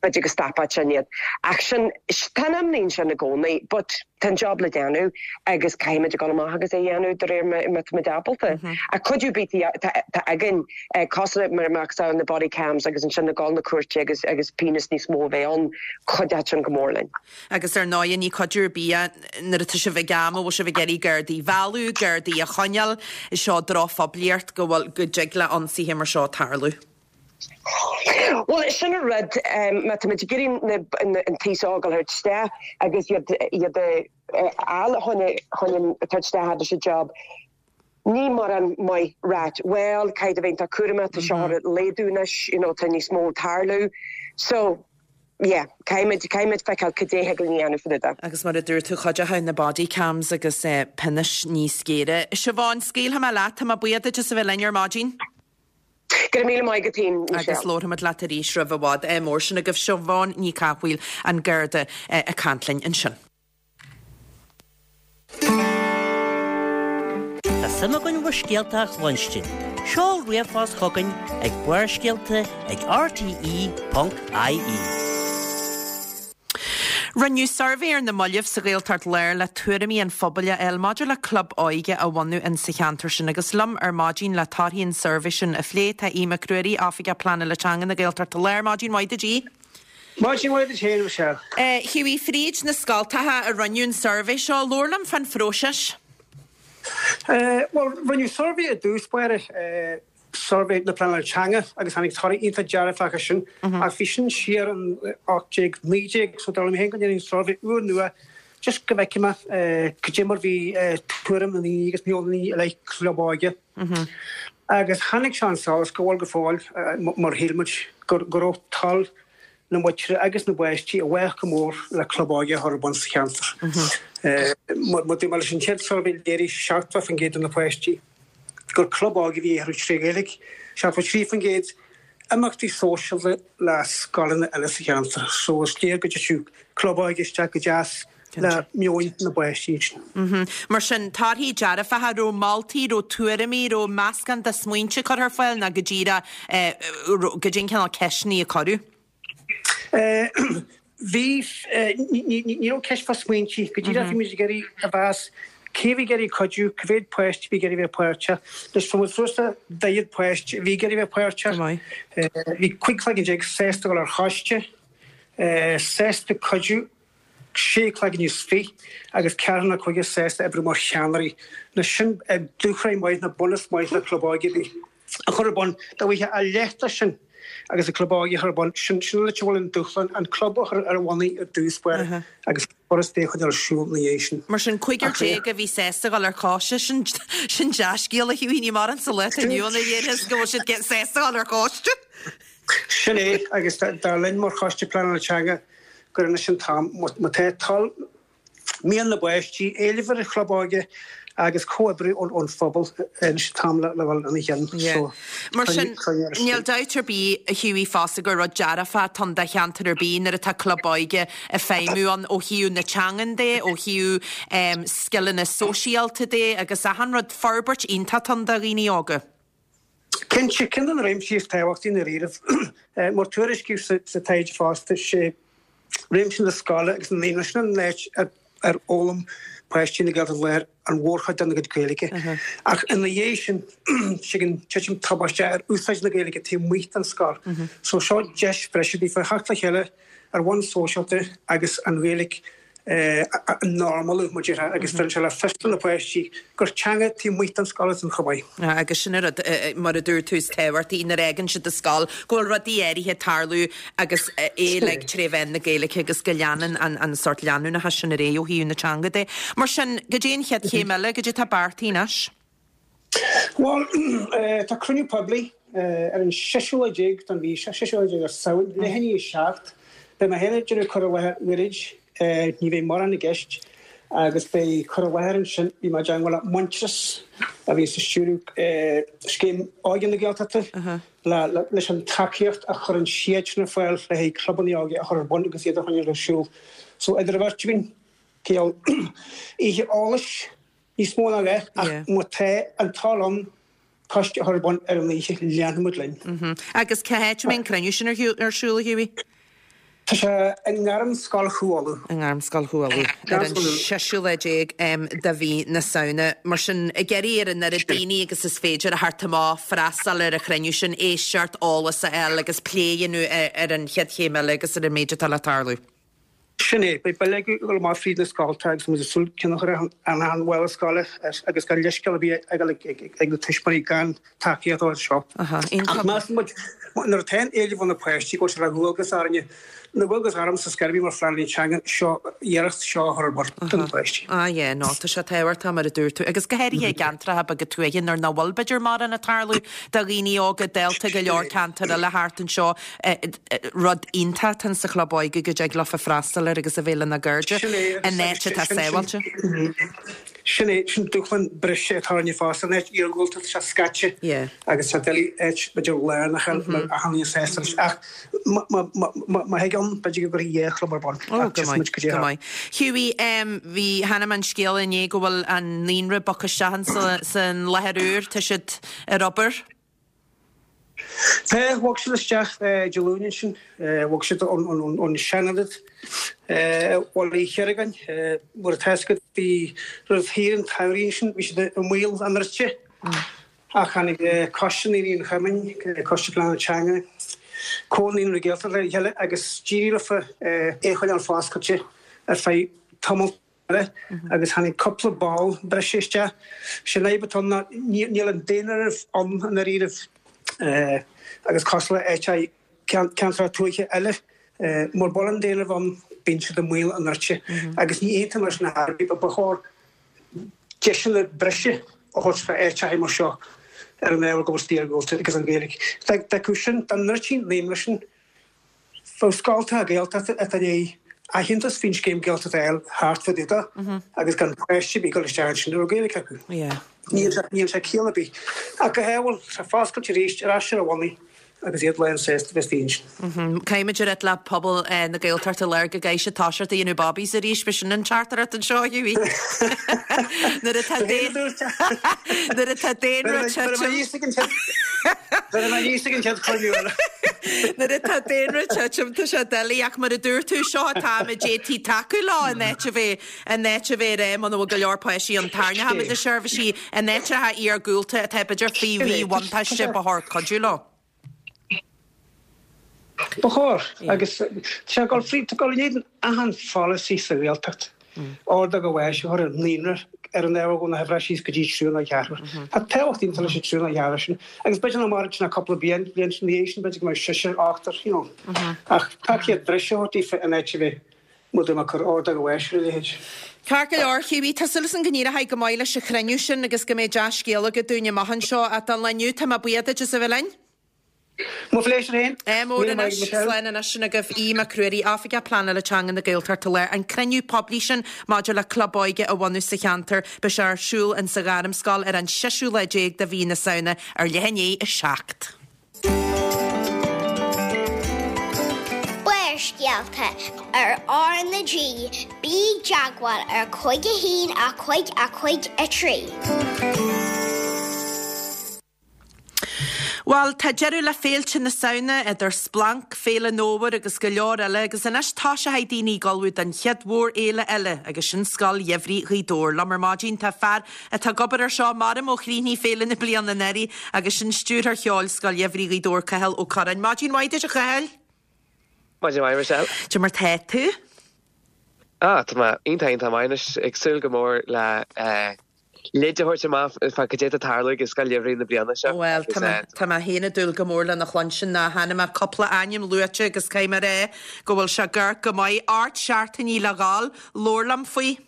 Speaker 5: b'fhéidir go stopfadh sin iad. Ach sin, tá an imní ansin i gcónaí, but tá an job le déanamh agus caithfimid a dhul amach agus é a dhéanamh de réir má tá muid ábalta. Ach cuidiú ar bith atá againn, cosúil mar a mbeadh na body cams agus ansin ag dul na cúirte agus, agus pionós níos mó a bheith ann, cuideoidh sin go mór linn.
Speaker 1: Agus ar ndóigh, ní cuidiú ar bith é nuair atá sibh ag am a bhfuil sibh ag iarraidh Gardaí a mhealladh, Gardaí a choinneáil. Seo drochphoiblíocht go bhfuil, go dtig le ionsaithe mar seo tarlú.
Speaker 5: Bhuel, sin an rud, má tá muid ag iarraidh an t-aos óg a thabhairt isteach agus iad iad a fháil chun chun tabhairt isteach leis an job, ní mórán maith ráit, bhuel, caithfidh tú a bheith iontach cúramach, tá seo ag laghdú anois, you know, tá níos mó ag tarlú. So. yeah, caithfimid, caithfimid feiceáil cad é thig linn a dhéanamh fá dtaobh de.
Speaker 1: Agus mar a dúirt tú, cuideoidh na body cams agus pionóis níos géire. Siobhán, scaoilfidh mé leat, tá mé buíoch duit as a bheith linn ar maidin.
Speaker 5: Go raibh míle maith agat féin, Michelle.
Speaker 1: Agus labharfaimid leat arís roimh i bhfad. Ádh mór sin agaibh. Siobhán Ní Chathmhaoil, an Garda, ag caint linn ansin.
Speaker 6: Tá suim againn bhur scéalta a chluinstin. Seol ríomhphost chugainn ag barrscéalta ag rte.ie.
Speaker 1: Rinneadh suirbhé ar na mallaibh sa Ghaeltacht Láir le tuairimí an phobail a fháil maidir le club óige a bhunú in sa cheantar sin agus liom ar maidin le torthaí an tsuirbhé sin a phlé tá Aodh Mac Ruairí, Oifigeach Pleanála Teanga na Gaeltachta Láir. Maidin mhaith duit Aodh.
Speaker 7: Maidin mhaith duit féin, a Mhichelle.
Speaker 1: Hughie, fríd na scoltacha a rinneadh an suirbhé seo, labhair liom fán phróiseas.
Speaker 7: Bhuel, rinneadh suirbhé i dtús báire, suirbhé na pleanála teanga agus tháinig torthaí iontach dearfach as sin. Ach bhí sin siar in 18, 19, so dar liom féin go ndéanfainn suirbhé úr nua just go bhfeicfidh mé cad é mar bhí tuairim na ndaoine agus meon na ndaoine i leith club óige. Agus tháinig sé chun solais go bhfuil go fóill, mar shíl muid, go raibh toil na muintire agus na bpáistí i bhfách go mór le club óige a chur ar bun sa cheantar. Mar dúirt mé leis an chéad suirbhé léirigh 70% de na páistí gur club óige a bhí orthu tré Ghaeilge, 73% imeachtaí sóisialta le scoileanna eile sa cheantar. So is léir go dtitfeadh club óige isteach go deas le meoin na bpáistí
Speaker 1: ansin. Mar sin, torthaí dearfacha, raibh moltaí, raibh tuairimí, raibh meascán de smaointe curtha ar fáil nó go díreach goidé an cineál ceisteanna a cuireadh?
Speaker 7: Bhí, ní raibh ceist fá smaointe, go díreach bhí muid ag iarraidh a mheas cé bhí ag iarraidh cuidiú, cá mhéad páiste a bhí ag iarraidh bheith páirteach. Anois fuair muid suas le 40 páiste a bhí ag iarraidh bheith páirteach. Bhí 15 cloigeann sásta dul ar choiste, sásta cuidiú. 16 cloigeann is 20 agus ceathrar nó cúigear sásta oibriú mar cheannairí. Anois sin dúshraith maith nó bunús maith le club óige ar bith a chur ar bun. Dá bhfaighfeá a leath de sin agus an club óige a chur ar bun, sin sin an áit a bhfuil an dúshlán, an club a chur ar a bhonnaí ar dtús báire agus foras é a choinneáil ar siúl ina dhiaidh sin.
Speaker 1: Mar sin, cúigear déag a bhí sásta dul ar choiste, sin sin dea-scéal a Hughie, ní mórán sa lá atá inniu ann a dhéarfas go bhfuil siad sásta dul ar choiste.
Speaker 7: Sin é, agus dar linn mar Choiste Pleanála Teanga, gur anois an t-am, má tá toil, mian na bpáistí, éileamh ar an chlub óige agus comhoibriú ón phobal, anois an t-am le dhul ina chionn.
Speaker 1: So, Mar sin, níl dabht ar bith, a Hughie, fosta gur rud dearfach atá ann do cheantar ar bith nuair atá club óige ag feidhmiú ann ó thaobh na teangan de, ó thaobh scileanna sóisialta de agus achan rud, forbairt iontach atá ann do dhaoine óga.
Speaker 7: Cinnte, ceann de na réimsí is tábhachtaí i ndáiríribh, mar tuairiscíodh sa taighde fosta, sé réimse na scoile agus na naíonra, sin an áit ar fhoghlaim páistí na Gaeltachta Láir an mhórchuid dena gcuid Gaeilge. Ach ina dhiaidh sin, tagann titim tubaisteach ar úsáid na Gaeilge taobh amuigh den scoil. So seo deis bhreise daofa theacht le chéile ar bhonn sóisialta agus an Ghaeilge a normalú, mar déarfá, agus tugann sé le fios do na páistí gur teanga taobh amuigh den scoil atá ann chomh maith.
Speaker 1: Agus sin an rud, mar a dúirt tú, is tábhachtaí nuair a fhágann siad an scoil, go bhfuil rudaí áirithe ag tarlú agus é uilig tré mheán na Gaeilge agus go leanann an sórt leanúnachas sin ar aghaidh ó thaobh na teanga de. Mar sin, goidé an chéad chéim eile, goidé atá beartaithe anois?
Speaker 7: Bhuel, tá cruinniú poiblí ar an seisiú lá déag den mhí seo, seisiú lá déag de Samhain, leath i ndiaidh a 7. Beidh mé féin ag déanamh cur i láthair gairid, ní bheidh mórán i gceist, agus beidh cur i láthair ansin, bhí mé i dteangmháil le Muintearas a bhíonns ag stiúradh Scéim Óige na Gaeltachta, leis an tacaíocht a chuireann siadsan ar fáil le haghaidh clubanna óige a chur ar bun agus iad a choinneáil ar siúl. So, idir an bheirt againn, cineál oíche eolais, Níos mó ná leath, ach má tá an toil ann coiste a chur ar bun ar an oíche, leanfaidh muid
Speaker 1: linn. Agus cá háit a mbeidh an cruinniú sin ar siúl, a Hughie?
Speaker 7: Tá sé i nGairmscoil Chú Uladh.
Speaker 1: I nGairmscoil Chú Uladh, ar an seisiú lá déag de mhí na Samhna. Mar sin, ag iarraidh ar an oiread daoine agus is féidir a theacht amach, freastal ar an chruinniú sin, éisteacht, eolas a fháil agus plé a dhéanamh ar an chéad chéim eile agus ar an méid atá le tarlú.
Speaker 7: Sin é. Beidh bileoga ag dul amach fríd na scolta agus muid ag súil ceann a chur ar achan bhalla scoile agus gan leithscéal ar bith ag dul ag na tuismitheoirí gan tacaíocht a fháil seo. Ach measann muid, nuair atá an éileamh ó na páistí go bhfuil sé de dhualgas orainne, nó dualgas ormsa scor ar bith mar phleanálaí teanga, seo, iarracht seo a chur ar bun do na páistí.
Speaker 1: Ah yeah, no, tá sé tábhachtach mar a dúirt tú, agus go háirithe i gceantracha beaga tuaithe nuair nach bhfuil b'fhéidir mórán ag tarlú do dhaoine óga, dálta go leor ceantar eile thart anseo. Rud iontach atá sa chlub óige go dtig leofa freastal air agus a bheith lena gcairde in áit atá sábháilte.
Speaker 7: Sin é, sin dúshlán breise atá orainne fosta, an áit iargúlta, tá sé scaite agus tá doiligh áit b'fhéidir lárnach a fháil le achan duine sásta leis. Ach má thig ann, b'fhéidir go gcuirfí dhá chlub ar bun.
Speaker 1: Ó, go maith, go maith. Hughie, bhí, chonaic mé an scéal inné go bhfuil an naíonra bogtha isteach san láthair úr, tá siad ar obair.
Speaker 7: Tá, bhog siad isteach Dé Luain ansin, bhog siad ón seanionad i Bhaile Uí Chiargáin. Mar atá fhios agat, bhí roimh shaoire an tsamhraidh ansin, bhí siad i mbaol a ndruidte. Ach tháinig Coiste Naíonraí an Chumainn, Coiste Pleanála Teanga. Comhar Naíonraí Gaeltachta le chéile agus d'éirigh leofa é a choinneáil foscailte ar feadh tamall eile agus tháinig cúpla ball breise isteach. Sé an fhadhb atá ann ná níl an daonáireamh ann i ndáiríribh agus cosúil le áiteacha ceantracha tuaithe eile, mura bhfuil an daonáireamh ann bíonn siad i mbaol a ndruidte agus ní aontaím leis na hairí ba chóir deiseanna breise a thabhairt do áiteacha mar seo ar an ábhar go bhfuil siad iargúlta agus an Ghaeilge. Dá mbeadh sin, dá ndruidtí an naíonra sin, Bheadh scoltacha Gaeltachta atá i ndiaidh aitheantas faoin scéim Gaeltachta a fháil thart fá dtaobh de agus gan páiste ar bith ag dul isteach ansin a raibh Gaeilge acu. Níl sé ciall ar bith. Ach go hábhail, tá foscailte arís, ar ais ar a bhonnaí agus iad lán sásta bheith istigh ansin.
Speaker 1: Caithfimid a rá le pobal na Gaeltachta Láir go gcaithfidh siad toiseacht a dhéanamh bobbies arís, b'shin an teachtaireacht anseo, a Hughie. Nuair atá Nuair atá daonra titim. Nuair atá daonra ag titim tá sé doiligh ach mar a dúirt tú, seo an t-am a d'fhéadfaí tacú leo in áit a bheith in áit a bheith ag rá muna bhfuil go leor páistí ann tarraingeoimid na seirbhísí in áiteacha iargúlta atá b'fhéidir faoi mhíbhuntáiste ba chóir cuidiú leo.
Speaker 7: Ba chóir, agus tá sé ag dul fríd, tá ag dul in éadan achan pholasaí sa Ghaeltacht, ordóg an bháis a chur ar naíonra ar an ábhar go na huimhreacha síos go dtí triúr nó ceathrar. Tá tábhacht iontach leis an triúr nó ceathrar sin, agus b'fhéidir nach mairfidh sin ach cúpla bliain, bliain ina dhiaidh sin b'fhéidir go mbeidh seisear, ochtar, you know. Ach tacaíocht bhreise a thabhairt daofa in áit a bheith muid ag cur ordóg an bháis ar a leithéid.
Speaker 1: Ceart go leor, Hughie, tá súil agam go n-éireoidh go maith leis an chruinniú sin agus go mbeidh dea-scéal agat dúinn amach anseo. Ach don lá inniu, tá mé buíoch duit as a bheith linn.
Speaker 7: Mo phléisiúr féin.
Speaker 1: Ádh mór anois, slán anois sin agaibh Aodh Mac Ruairí, Oifigeach Pleanála Teanga na Gaeltachta Láir. An cruinniú poiblí sin maidir le club óige a bhunú sa cheantar, beidh sé ar siúl in sa Ghairmscoil ar an seisiú lá déag de mhí na Samhna ar leath i ndiaidh 7.
Speaker 3: Barrscéalta ar R na G, bí i dteagmháil ar 5 1 5 5 3.
Speaker 1: Bhuel, tá deireadh le féilte na Samhna, idir Splanc, Féile an Fhómhair agus go leor eile, agus anois toiseochaidh daoine ag ullmhú don chéad mhórfhéile eile, agus sin Scoil Gheimhridh Ghaoth Dobhair. Liom ar maidin tá fear atá ag obair ar seo, maram ó chríochnaigh féile na bliana anuraidh, agus sin Stiúrthóir Cheoil Scoil Gheimhridh Ghaoth Dobhair, Cathal Ó Curráin. Maidin mhaith duit, a Chathail!
Speaker 8: Maidin mhaith, Michelle.
Speaker 1: Cad é mar tá tú?
Speaker 8: Ah, tá mé iontach, iontach maith anois, ag súil go mór le leid a thabhairt amach fá cad é atá ag tarlú ag Scoil Gheimhridh na bliana seo.
Speaker 1: Bhuel, tá mé, tá mé féin ag dúil go mór lena chluinstin. Chonaic mé cúpla ainm luaite agus caithfidh mé a rá go bhfuil sé ag amharc go maith. Ocht seachtainí le dhul, labhair liom faoi.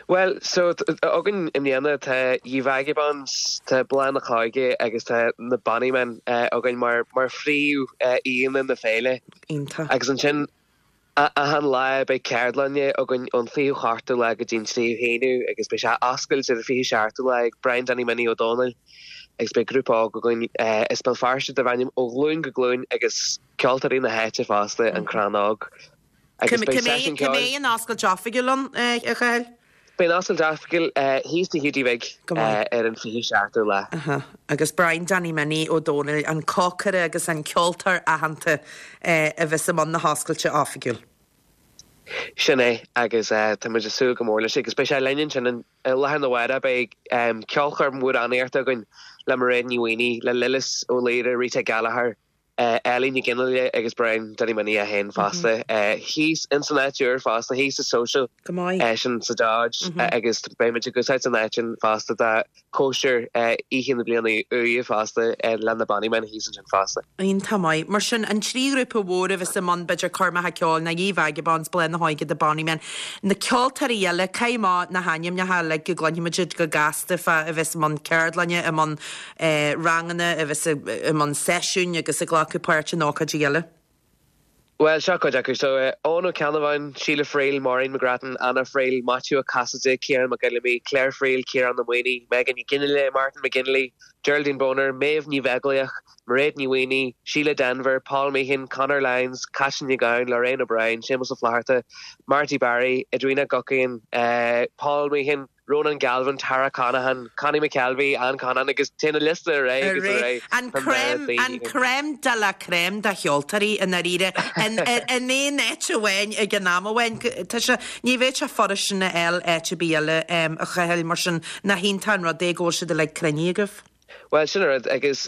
Speaker 8: Bhuel, so, againn i mbliana tá Ye Vagabonds, tá Bláth na hÓige agus tá na Bonnymen againn mar, mar phríomh aíonna na féile.
Speaker 1: Iontach.
Speaker 8: Agus ansin Achan lá beidh ceardlanna againn ón 28ú lá go dtí an 3ú haonú agus beidh sé oscailte ar an 27ú lá ag Brian Danny Minnie Ó Dónaill agus beidh grúpa óg againn as Béal Feirste darb ainm Ó Ghlúin go Glúin agus ceoltóirí na háite fosta, An Crann Óg.
Speaker 1: Agus beidh seisiún ceoil. Cá mbeidh an oscailt oifigiúil ann, a Chathail?
Speaker 8: Beidh an oscailt oifigiúil thíos Tigh Hiúdaí Bhig ar an 27ú lá.
Speaker 1: Agus Brian Danny Minnie Ó Dónaill, an cócaire agus an ceoltóir aitheanta a bheas i mbun na hoscailte oifigiúil.
Speaker 8: Sin é, agus tá muid ag súil go mór leis agus beidh sé linn ansin i láthair na mháire. Beidh ceolchoirm amhránaíochta againn le Mairéad Ní Mhaonaigh, le Lillis Ó Laoire, Rita Gallagher, Ellie Ní Ghionnaile agus Brian Danny Minnie é féin fosta. Thíos ins an áit úr fosta, thíos sa Social, sin sa Dodge agus beidh muid ag úsáid an áit sin fosta do cóisir oíche na bliana úire fosta le na Bonnymen thíos ansin fosta.
Speaker 1: Iontach maith. Mar sin, an trí ghrúpa mhór a bheas i mbun b'fhéidir coirmeacha ceoil ná Ye Vagabonds, Bláth na hÓige, The Bonnymen. Na ceoltóirí eile, caith amach na hainmneacha uilig go gcluinfimid iad go gasta fá a bheas i mbun ceardlainne, i mbun ranganna, a bheas i mbun seisiúin agus ag glacadh páirt in ócáidí eile.
Speaker 8: Bhuel, seo cuid acu. So, Eoin Ó Ceannabháin, Síle Friel, Maureen McGrattan, Anna Friel, Maitiú Ó Casaide, Ciarán Mac Fheilimí, Claire Friel, Ciarán Ó Maonaigh, Megan Ní Ghionnaile, Martin McGinley, Geraldine Boner, Méabh Ní Bheaglaoich, Mairéad Ní Mhaonaigh, Síle Denvir, Paul Meehan, Conor Lyons, Caitlín Nic Gabhann, Lorraine O'Brien, Séamus Ó Flatharta, Marty Barry, Edwina Guckian, Paul Meehan, Ronan Galvin, Tara Conaghan, Connie McKelvey, Anne Conaghan agus téann an liosta ar aghaidh agus ar aghaidh.
Speaker 1: An crème, an crème de la crème de cheoltóirí i ndáiríre in in aon áit amháin ag an am amháin. Tá sé, ní bheadh sé furast sin a fháil áit ar bith eile a Chathail, mar sin nach iontach an rud é go bhfuil siad uilig cruinnithe agaibh.
Speaker 8: Bhuel, sin an rud agus.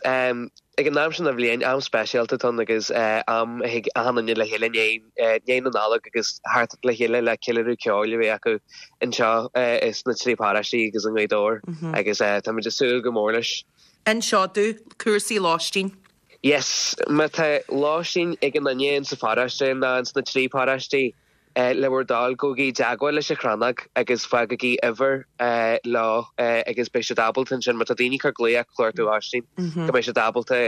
Speaker 8: Ag an am sin den bhliain, am speisialta atá ann agus am a thig achan duine le chéile i ndiaidh na Nollag agus theacht le chéile le ceiliúradh ceoil a bheith acu anseo sna trí paróistí agus i nGaoth Dobhair agus táimid ag súil go mór leis.
Speaker 1: Inis domh cúrsaí lóistín.
Speaker 8: Yes, má tá lóistín ag aon duine insa pharóiste nó ins na trí paróistí, Le bhur dtoil, gabhaigí i dteagmháil leis an Chrannóg agus fágaigí uimhir leo agus beidh siad ábalta ansin, má tá daoine ag cur glaoch ag cuartú lóistín, go mbeidh siad ábalta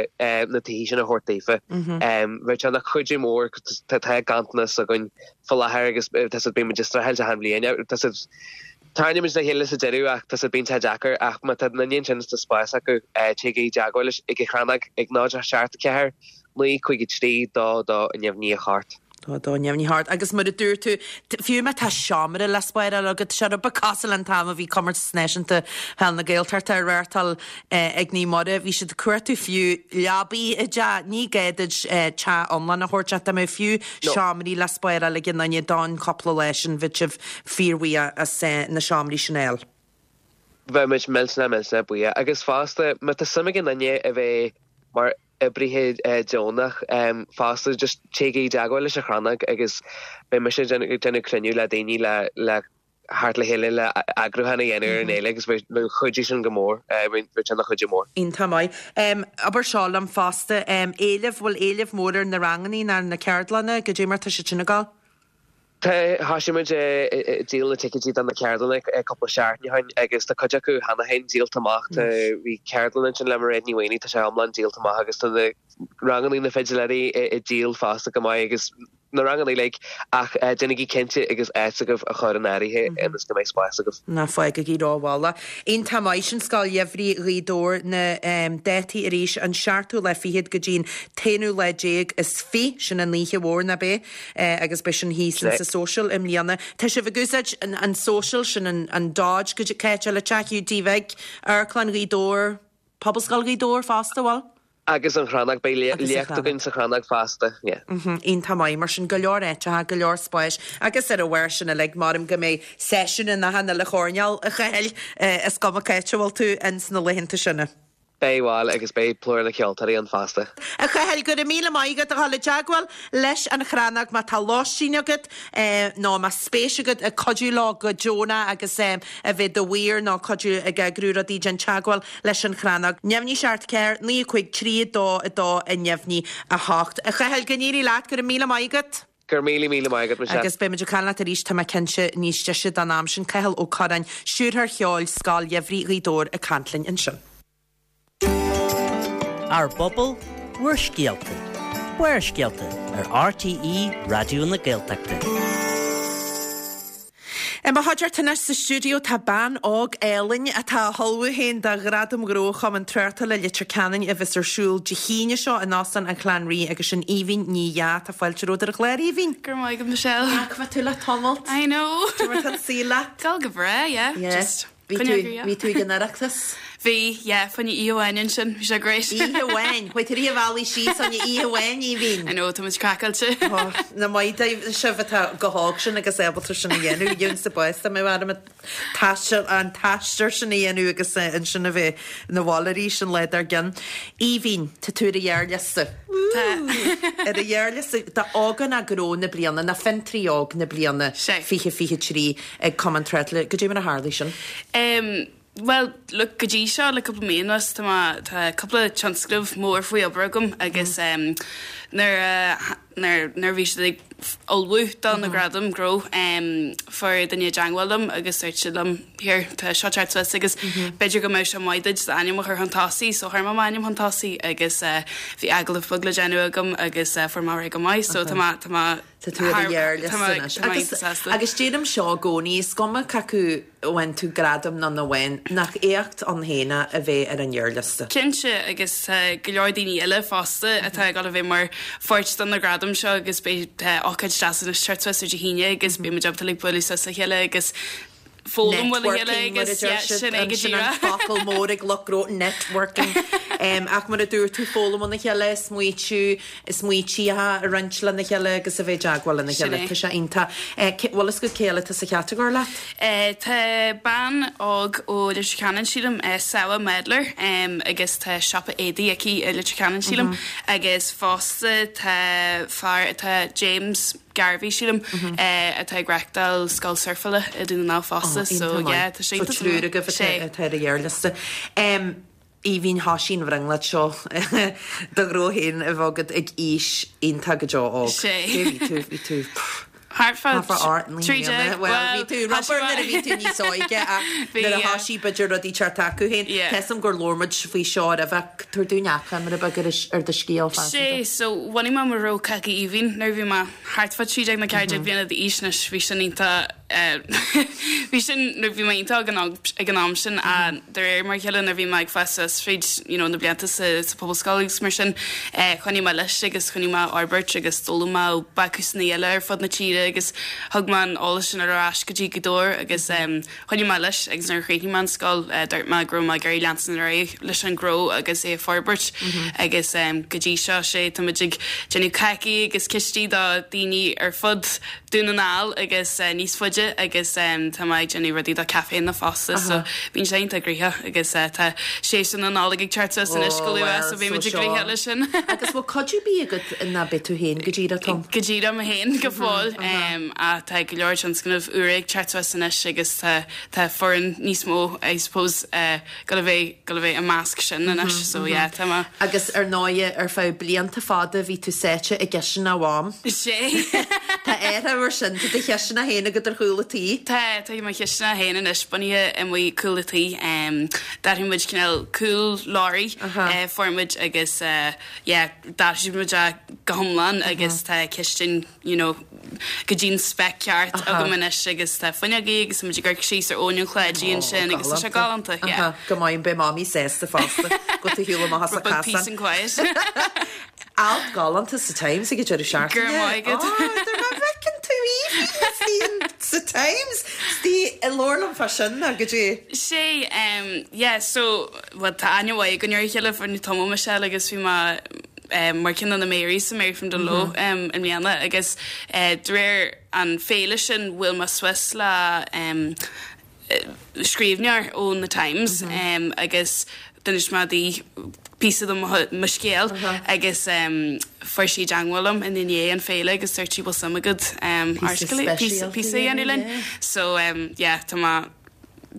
Speaker 8: na tithe sin a thabhairt daofa. Bheadh sé ina chuidiú mór, tá ganntanas againn faoi láthair agus tá siad, bíonn muid ag streachailt achan bhliain, tá siad, tarraingíonn muid le chéile sa deireadh ach tá siad, bíonn sé deacair ach má tá duine ansin is tá spás acu, téigí i dteagmháil leis ag an Chrannóg ag 0 7 4 9 5 3 2 2 neamhní 8.
Speaker 1: 2 2 neamhní 8. Agus mar a dúirt tú, fiú má tá seomra le spáráil agat, sé rud beag cosúil an t-am a bhí Comórtas Náisiúnta Peil na Gaeltachta á reáchtáil ag Naomh Muire, bhí siad ag cuartú fiú leabaí i dteach. Ní gá duit teach iomlán a thabhairt ach dá mbeadh fiú seomraí le spáráil ag aon duine don chúpla lá sin, bheadh sibh fíorbhuíoch as na seomraí sin a fháil.
Speaker 8: Bheadh muid millteanach millteanach buíoch. Agus fosta, má tá suim ag aon duine a bheith mar oibrithe deonach fosta just téigí i dteagmháil leis an Chrannóg agus beidh mise ag déanamh cruinniú le daoine le le theacht le chéile le eagrúchán a dhéanamh ar an fhéile agus bheadh chuidiú sin go mór, bheadh sé ina chuidiú mór.
Speaker 1: Iontach maith. Abair seo liom fosta, éileamh, bhfuil éileamh mór ar na rangannaí nó ar na ceardlanna, goidé mar tá siad sin ag dul?
Speaker 8: Tá, thosaigh muid ag díol na ticéidí do na ceardlanna cúpla seachtain ó shin agus tá cuid acu cheana féin díolta amach. Tá, bhí ceardlann ansin le Mairéad Ní Mhaonaigh, tá sé iomlán díolta amach agus tá na rangannaí na fidiléirí ag díol fosta go maith agus na rangannaí uilig ach déanaigí cinnte agus áit agaibh a chur in áirithe ionas go mbeidh spás agaibh.
Speaker 1: Ná fágaigí rómhall. Iontach maith sin Scoil Gheimhridh Ghaoth Dobhair na dátaí arís an seachtú lá fichead go dtí an t-aonú lá déag is fi, sin an oíche mhór nach b'é? Agus beidh sin thíos in sa Social i mbliana. Tá sibh ag úsáid an Social, sin an Dodge go dtí cá háit eile, Teach Hiúdaí Bhig, Amharclann Ghaoth Dobhair, Pobalscoil Ghaoth Dobhair fosta, bhfuil?
Speaker 8: Agus an Chrannóg, beidh léacht againn sa Chrannóg fosta, yeah.
Speaker 1: Iontach maith, mar sin go leor áiteacha, go leor spáis agus ar a bharr sin uilig, maram go mbeidh seisiún in achan uile choirnéal, a Chathail, is cuma cá háit a bhfuil tú ins na laethanta sin.
Speaker 8: Beidh, bhuel, agus beidh plúr na ceoltóirí ann fosta.
Speaker 1: A Chathail, go raibh míle maith agat a dhul i dteagmháil leis an Chrannóg má tá lóistín agat nó má spéis agat ag cuidiú leo go deonach agus a bheith i do mhaor nó cuidiú ag eagrú rudaí, déan teagmháil leis an Chrannóg. Neamhní 7 4 9 5 3 2 2 neamhní 8. A Chathail, go n-éirí leat, go raibh míle maith agat.
Speaker 8: Go raibh míle, míle maith agat, Michelle.
Speaker 1: Agus beidh muid ag caint leat arís, tá mé cinnte, níos deise don am sin. Cathal Ó Curráin, Stiúrthóir Cheoil Scoil Gheimhridh Ghaoth Dobhair ag caint linn ansin.
Speaker 6: Ár bpobal, bhur scéalta. Barrscéalta ar RTÉ Raidió na Gaeltachta.
Speaker 1: I mo chuideachta anois sa stiúideo tá bean óg álainn atá á hullmhú féin do Ghradaim Ghnó Chumann Tráchtála Leitir Ceanainn a bheas ar siúl Dé hAoine seo in Óstán an Chlann Rí agus sin Aoibhinn Ní Dheá. Tá fáilte romhat ar an chlár, Aoibhinn.
Speaker 9: Go raibh maith agat, Michelle.
Speaker 1: Nach bhfuil tú le tamalt?
Speaker 9: I know.
Speaker 1: Cad é mar tá an saol leat?
Speaker 9: Dul go breá, yeah.
Speaker 1: Yeah.
Speaker 9: Just
Speaker 1: Bhí tú, bhí tú ag an Oireachtas?
Speaker 9: Bhí, yeah, fá choinne oíche amháin ansin, bhí sé great.
Speaker 1: Oíche amháin? Chuaigh tú i rith an bhealaigh síos fá choinne oíche amháin, Aoibhinn?
Speaker 9: I know, tá muid craiceáilte.
Speaker 1: Oh, nach maith daoibh sibh atá chomh hóg sin agus ábalta sin a dhéanamh, gheobhainnse bás dá mbeadh orm an taisteal, an t-aistear sin a dhéanamh agus ansin a bheith 'na bhaile arís an lá dár gcionn. Aoibhinn, tá tú ar an ghearrliosta.
Speaker 9: Tá.
Speaker 1: Ar an ghearrliosta d'Ógánach Gnó na Bliana, nó Fiontraí Óg na Bliana 2023. ag Cumann Tráchtála. Goidé mar a tharlaigh sin?
Speaker 9: Em, bhuel, look, go dtí seo, le cúpla mí anuas, tá mé, tá cúpla tionscnamh mór faoi obair agam agus em, nuair a, nuair, nuair a bhí siad ag ullmhú do na gradaim gnó, em, fuair duine i dteangmháil liom agus dúirt siad liom, here, tá seo ag teacht suas agus b'fhéidir go mbeadh sé maith duit d'ainm a chur chun tosaigh, so chuir mé m'ainm chun tosaigh agus eh, bhí agallamh beag le déanamh agam agus eh, fuair mé ar aghaidh go maith, so tá mé, tá mé,
Speaker 1: Tá tú ar an ghearrliosta anois. Agus, agus deirim seo i gcónaí, is cuma cé acu a bhain tú gradam nó nach bhain, nach éacht ann féin é a bheith ar an ghearrliosta?
Speaker 9: Cinnte, agus tá go leor daoine eile fosta atá ag dul a bheith mar pháirt de na gradaim seo agus beidh, tá ócáid deas anois ag teacht suas ar Dé hAoine agus beidh muid ábalta like bualadh suas le chéile agus foghlaim uaidh a chéile
Speaker 1: Networking, mar a
Speaker 9: agus
Speaker 1: deir
Speaker 9: yeah,
Speaker 1: siad.
Speaker 9: sin é go
Speaker 1: Sin an
Speaker 9: díreach.
Speaker 1: focal mór ag lucht gnó, networking. Ach mar a dúirt tú, foghlaim óna chéile, smaoitiú, smaointí a roinnt lena chéile agus a bheith i dteagmháil lena
Speaker 9: Sin
Speaker 1: chéile.
Speaker 9: é.
Speaker 1: Tá sé iontach. Bhfuil fhios agat cé eile atá sa chatagóir leat?
Speaker 9: Tá bean óg ó Leitir Ceanainn, sílim, Sawa Medler, agus tá siopa éadaí aici i Leitir Ceanainn, sílim, agus fosta tá fear atá, James Garvey, sílim, atá ag reachtáil scoil surfála i Dún na nGall fosta, so yeah, tá sé
Speaker 1: So
Speaker 9: iontach.
Speaker 1: triúr agaibh
Speaker 9: Sé.
Speaker 1: atá ar an ghearrliosta. Aoibhinn thoisigh an bhrionglóid seo do ghnó féin a bheith agat ag aois iontach go deo óg.
Speaker 9: Sé.
Speaker 1: Cé bhí tú, bhí tú
Speaker 9: Thart fá
Speaker 1: thart fá ort
Speaker 9: 13,
Speaker 1: Bhuel, bhí tú rubber nuair a bhí tú níos óige ach nuair a thoisigh b'fhéidir rudaí teacht acu féin.
Speaker 9: Yeah.
Speaker 1: Tá 'fhios a'm gur labhair muid faoi seo roimhe ach tabhair dúinn achoimre beag ar ar do scéal
Speaker 9: Sé,
Speaker 1: phearsanta.
Speaker 9: so bhunaigh mé mo ghnó Cácaí Aoibhinn nuair a bhí mé thart fá 13 nó 14 bliana d'aois anois, bhí sin iontach Bhí sin, nuair bhí mé iontach óg ag an am sin ach de réir mar a chéile nuair a bhí mé ag fás suas fríd you know na blianta sa sa phobalscoil agus mar sin choinnigh mé leis agus choinnigh mé á fhorbairt agus d'fhoghlaim mé ó bácúsanna eile ar fud na tíre agus thug mé an eolas sin ar ais go dtí Gaoth Dobhair agus choinnigh mé leis agus nuair a chríochnaigh mé an scoil dúirt mé go raibh mé ag iarraidh leanstan ar aghaidh leis an gnó agus é a forbairt agus go dtí seo sé tá muid ag déanamh cácaí agus cistí do daoine ar fud Dún na nGall agus níos faide agus tá mé ag déanamh rudaí do caiféanna fosta so bíonn sé iontach gnoitheach agus tá séasúr na Nollag ag teacht suas anois go luath so beidh muid ag gnoitheach leis sin.
Speaker 1: Agus bhfuil cuid ar bith agat ná beidh tú féin go díreach, Tom?
Speaker 9: Go díreach mé féin go fóill ach tá go leor tionscnamh úra ag teacht suas anois agus tá tá foireann níos mó I suppose gabháil a bheith gabháil a bheith i measc sin anois so yeah tá mé.
Speaker 1: Agus ar ndóighe ar feadh blianta fada bhí tú sáite i gcisteanach Mham.
Speaker 9: Sé.
Speaker 1: Tá athrú mar sin, tá do chisteanach féin agat ar chúl a tí.
Speaker 9: Tá, tá mo chisteanach féin anois bunaithe amuigh cúl a tí. D'athraigh muid cineál cúl leoraí fuair muid agus yeah d'athraigh muid é go hiomlán agus tá cistin you know, go dtí an spec ceart agam anois agus tá fuinneogaí agus tá muid ag amharc síos ar Abhainn an Chláidí ansin agus tá sé galánta, yeah.
Speaker 1: Go maith, beidh Mamaí sásta fosta go bhfuil tú ag shiúl amach as an
Speaker 9: Rud beag peace
Speaker 1: casán.
Speaker 9: and quiet.
Speaker 1: Alt galánta sa Times ag an deireadh seachtaine.
Speaker 9: Go raibh maith agat.
Speaker 1: Ó, dar má bhfeiceann tú Aoibhinn sa Times, 's labhair liom fá sin ná go dtí.
Speaker 9: Sé, yeah, so, bhuel tá aithne mhaith againn ar a chéile fá tamall Michelle agus bhí mé mar ceann de na Marys sa Mary from Dungloe i mbliana agus de réir an féile sin bhuail mé suas le scríbhneoir ón The Times agus d'inis mé di píosa de mo scéal agus fuair sí i dteangmháil liom ina ndiaidh an féile agus dúirt sí bhfuil suim agat píosa a dhéanamh linn so yeah tá mé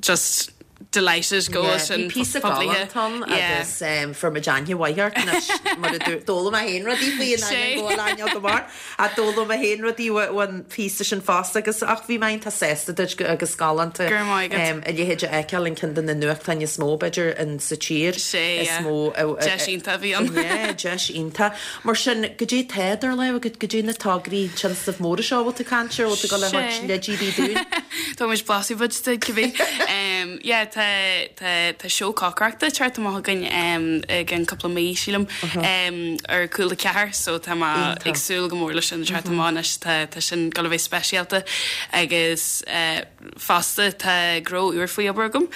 Speaker 9: just delighted go bhfuil sin
Speaker 1: Bhí píosa
Speaker 9: poiblithe.
Speaker 1: galánta ann agus fuair muid aithne mhaith ort anois mar a dúirt d'fhoghlaim mé féin rudaí faoi in ainneoin go bhfuil aithne agam ort ach d'fhoghlaim mé féin rudaí ón phíosa sin fosta agus ach bhí mé iontach sásta duit agus galánta
Speaker 9: Go raibh maith agat.
Speaker 1: a leithéid a fheiceáil in ceann de na nuachtáin is mó b'fhéidir in sa tír
Speaker 9: Sé
Speaker 1: is
Speaker 9: yeah.
Speaker 1: mó
Speaker 9: Deis iontach a bhí ann.
Speaker 1: Yeah, deis iontach. Mar sin, goidé tá idir lámha agat, goidé na tograí tionscnaimh móra seo a bhfuil tú ag caint air, a bhfuil tú ag dul a thabhairt
Speaker 9: Sé.
Speaker 1: leidí ar bith dúinn?
Speaker 9: Tá muid blaiseadh beag duit cibé. Yeah tá tá tá seó cócaireachta ag teacht amach againn i gceann cúpla mí sílim ar Cúla 4 so tá mé ag súil go mór leis sin ag teacht amach anois tá tá sin gabháil a bheith speisialta agus fosta tá gnó úr faoi obair agam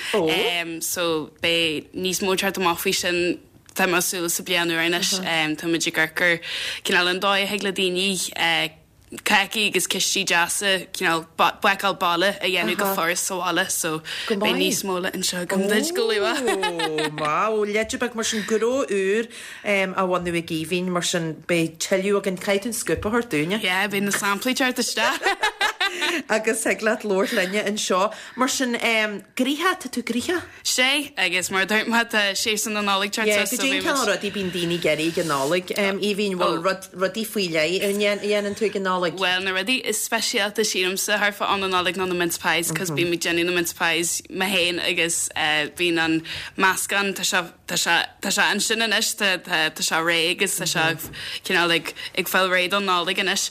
Speaker 9: so beidh níos mó ag teacht amach faoi sin tá mé ag súil sa bliain úr anois tá muid ag amharc ar cineál an dóigh a thig le daoine cácaí agus cistí deasa, cineál bácáil baile a dhéanamh go furast sa bhaile so beidh níos mó le inse agam duit go luath.
Speaker 1: Ó, wow, leide beag mar sin, gnó úr á bhunú ag Aoibhinn, mar sin beidh tuilleadh againn, caithfidh tú an scúp a thabhairt dúinne.
Speaker 9: Yeah, beidh na samplaí ag teacht isteach.
Speaker 1: Agus thig leat labhairt linne anseo. Mar sin, gnoitheach, tá tú gnoitheach?
Speaker 9: Sé, agus mar a dúirt mé, tá séasúr na Nollag ag teacht
Speaker 1: Yeah,
Speaker 9: suas so
Speaker 1: goidé an
Speaker 9: beidh
Speaker 1: cineál
Speaker 9: muid.
Speaker 1: rudaí bíonn daoine ag iarraidh ag an Nollaig, Aoibhinn, bhfuil rud, rudaí faoi leith a dhéanann tú ag an Nollaig?
Speaker 9: Bhuel, na rudaí is speisialta sílimse thart fá am na Nollag ná na mince pies, cos bím ag déanamh na mince pies mé féin agus bíonn an meascán, tá sé, tá sé, tá sé ansin anois, tá, tá, tá sé réidh agus tá sé cineál ag, ag fáil réidh don Nollaig anois.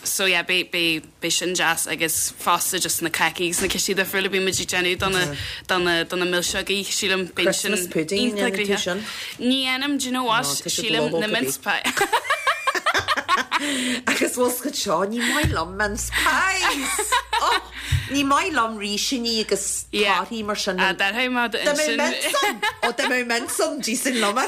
Speaker 9: So yeah, beidh, beidh. Beidh sin deas agus fosta just na cácaí agus na cistí difriúla bíonn muid ag déanamh do na do na do na milseogaí sílim bíonn sin
Speaker 1: Christmas pudding, an
Speaker 9: iontach
Speaker 1: ndéanann tú
Speaker 9: gnoitheach.
Speaker 1: sin?
Speaker 9: Ní dhéanaim, do you know what,
Speaker 1: No, tá siad
Speaker 9: sílim
Speaker 1: lobhadh
Speaker 9: na
Speaker 1: go
Speaker 9: mince
Speaker 1: bith.
Speaker 9: pie.
Speaker 1: Agus bhfuil 's agat seo, ní maith liom mince pies! Oh! Ní maith liom rísíní agus torthaí mar sin.
Speaker 9: Ah, déarfaidh mé
Speaker 1: Dá mbeadh mince ann! Ó, dá mbeadh mince ann, d'íosfainn liom é.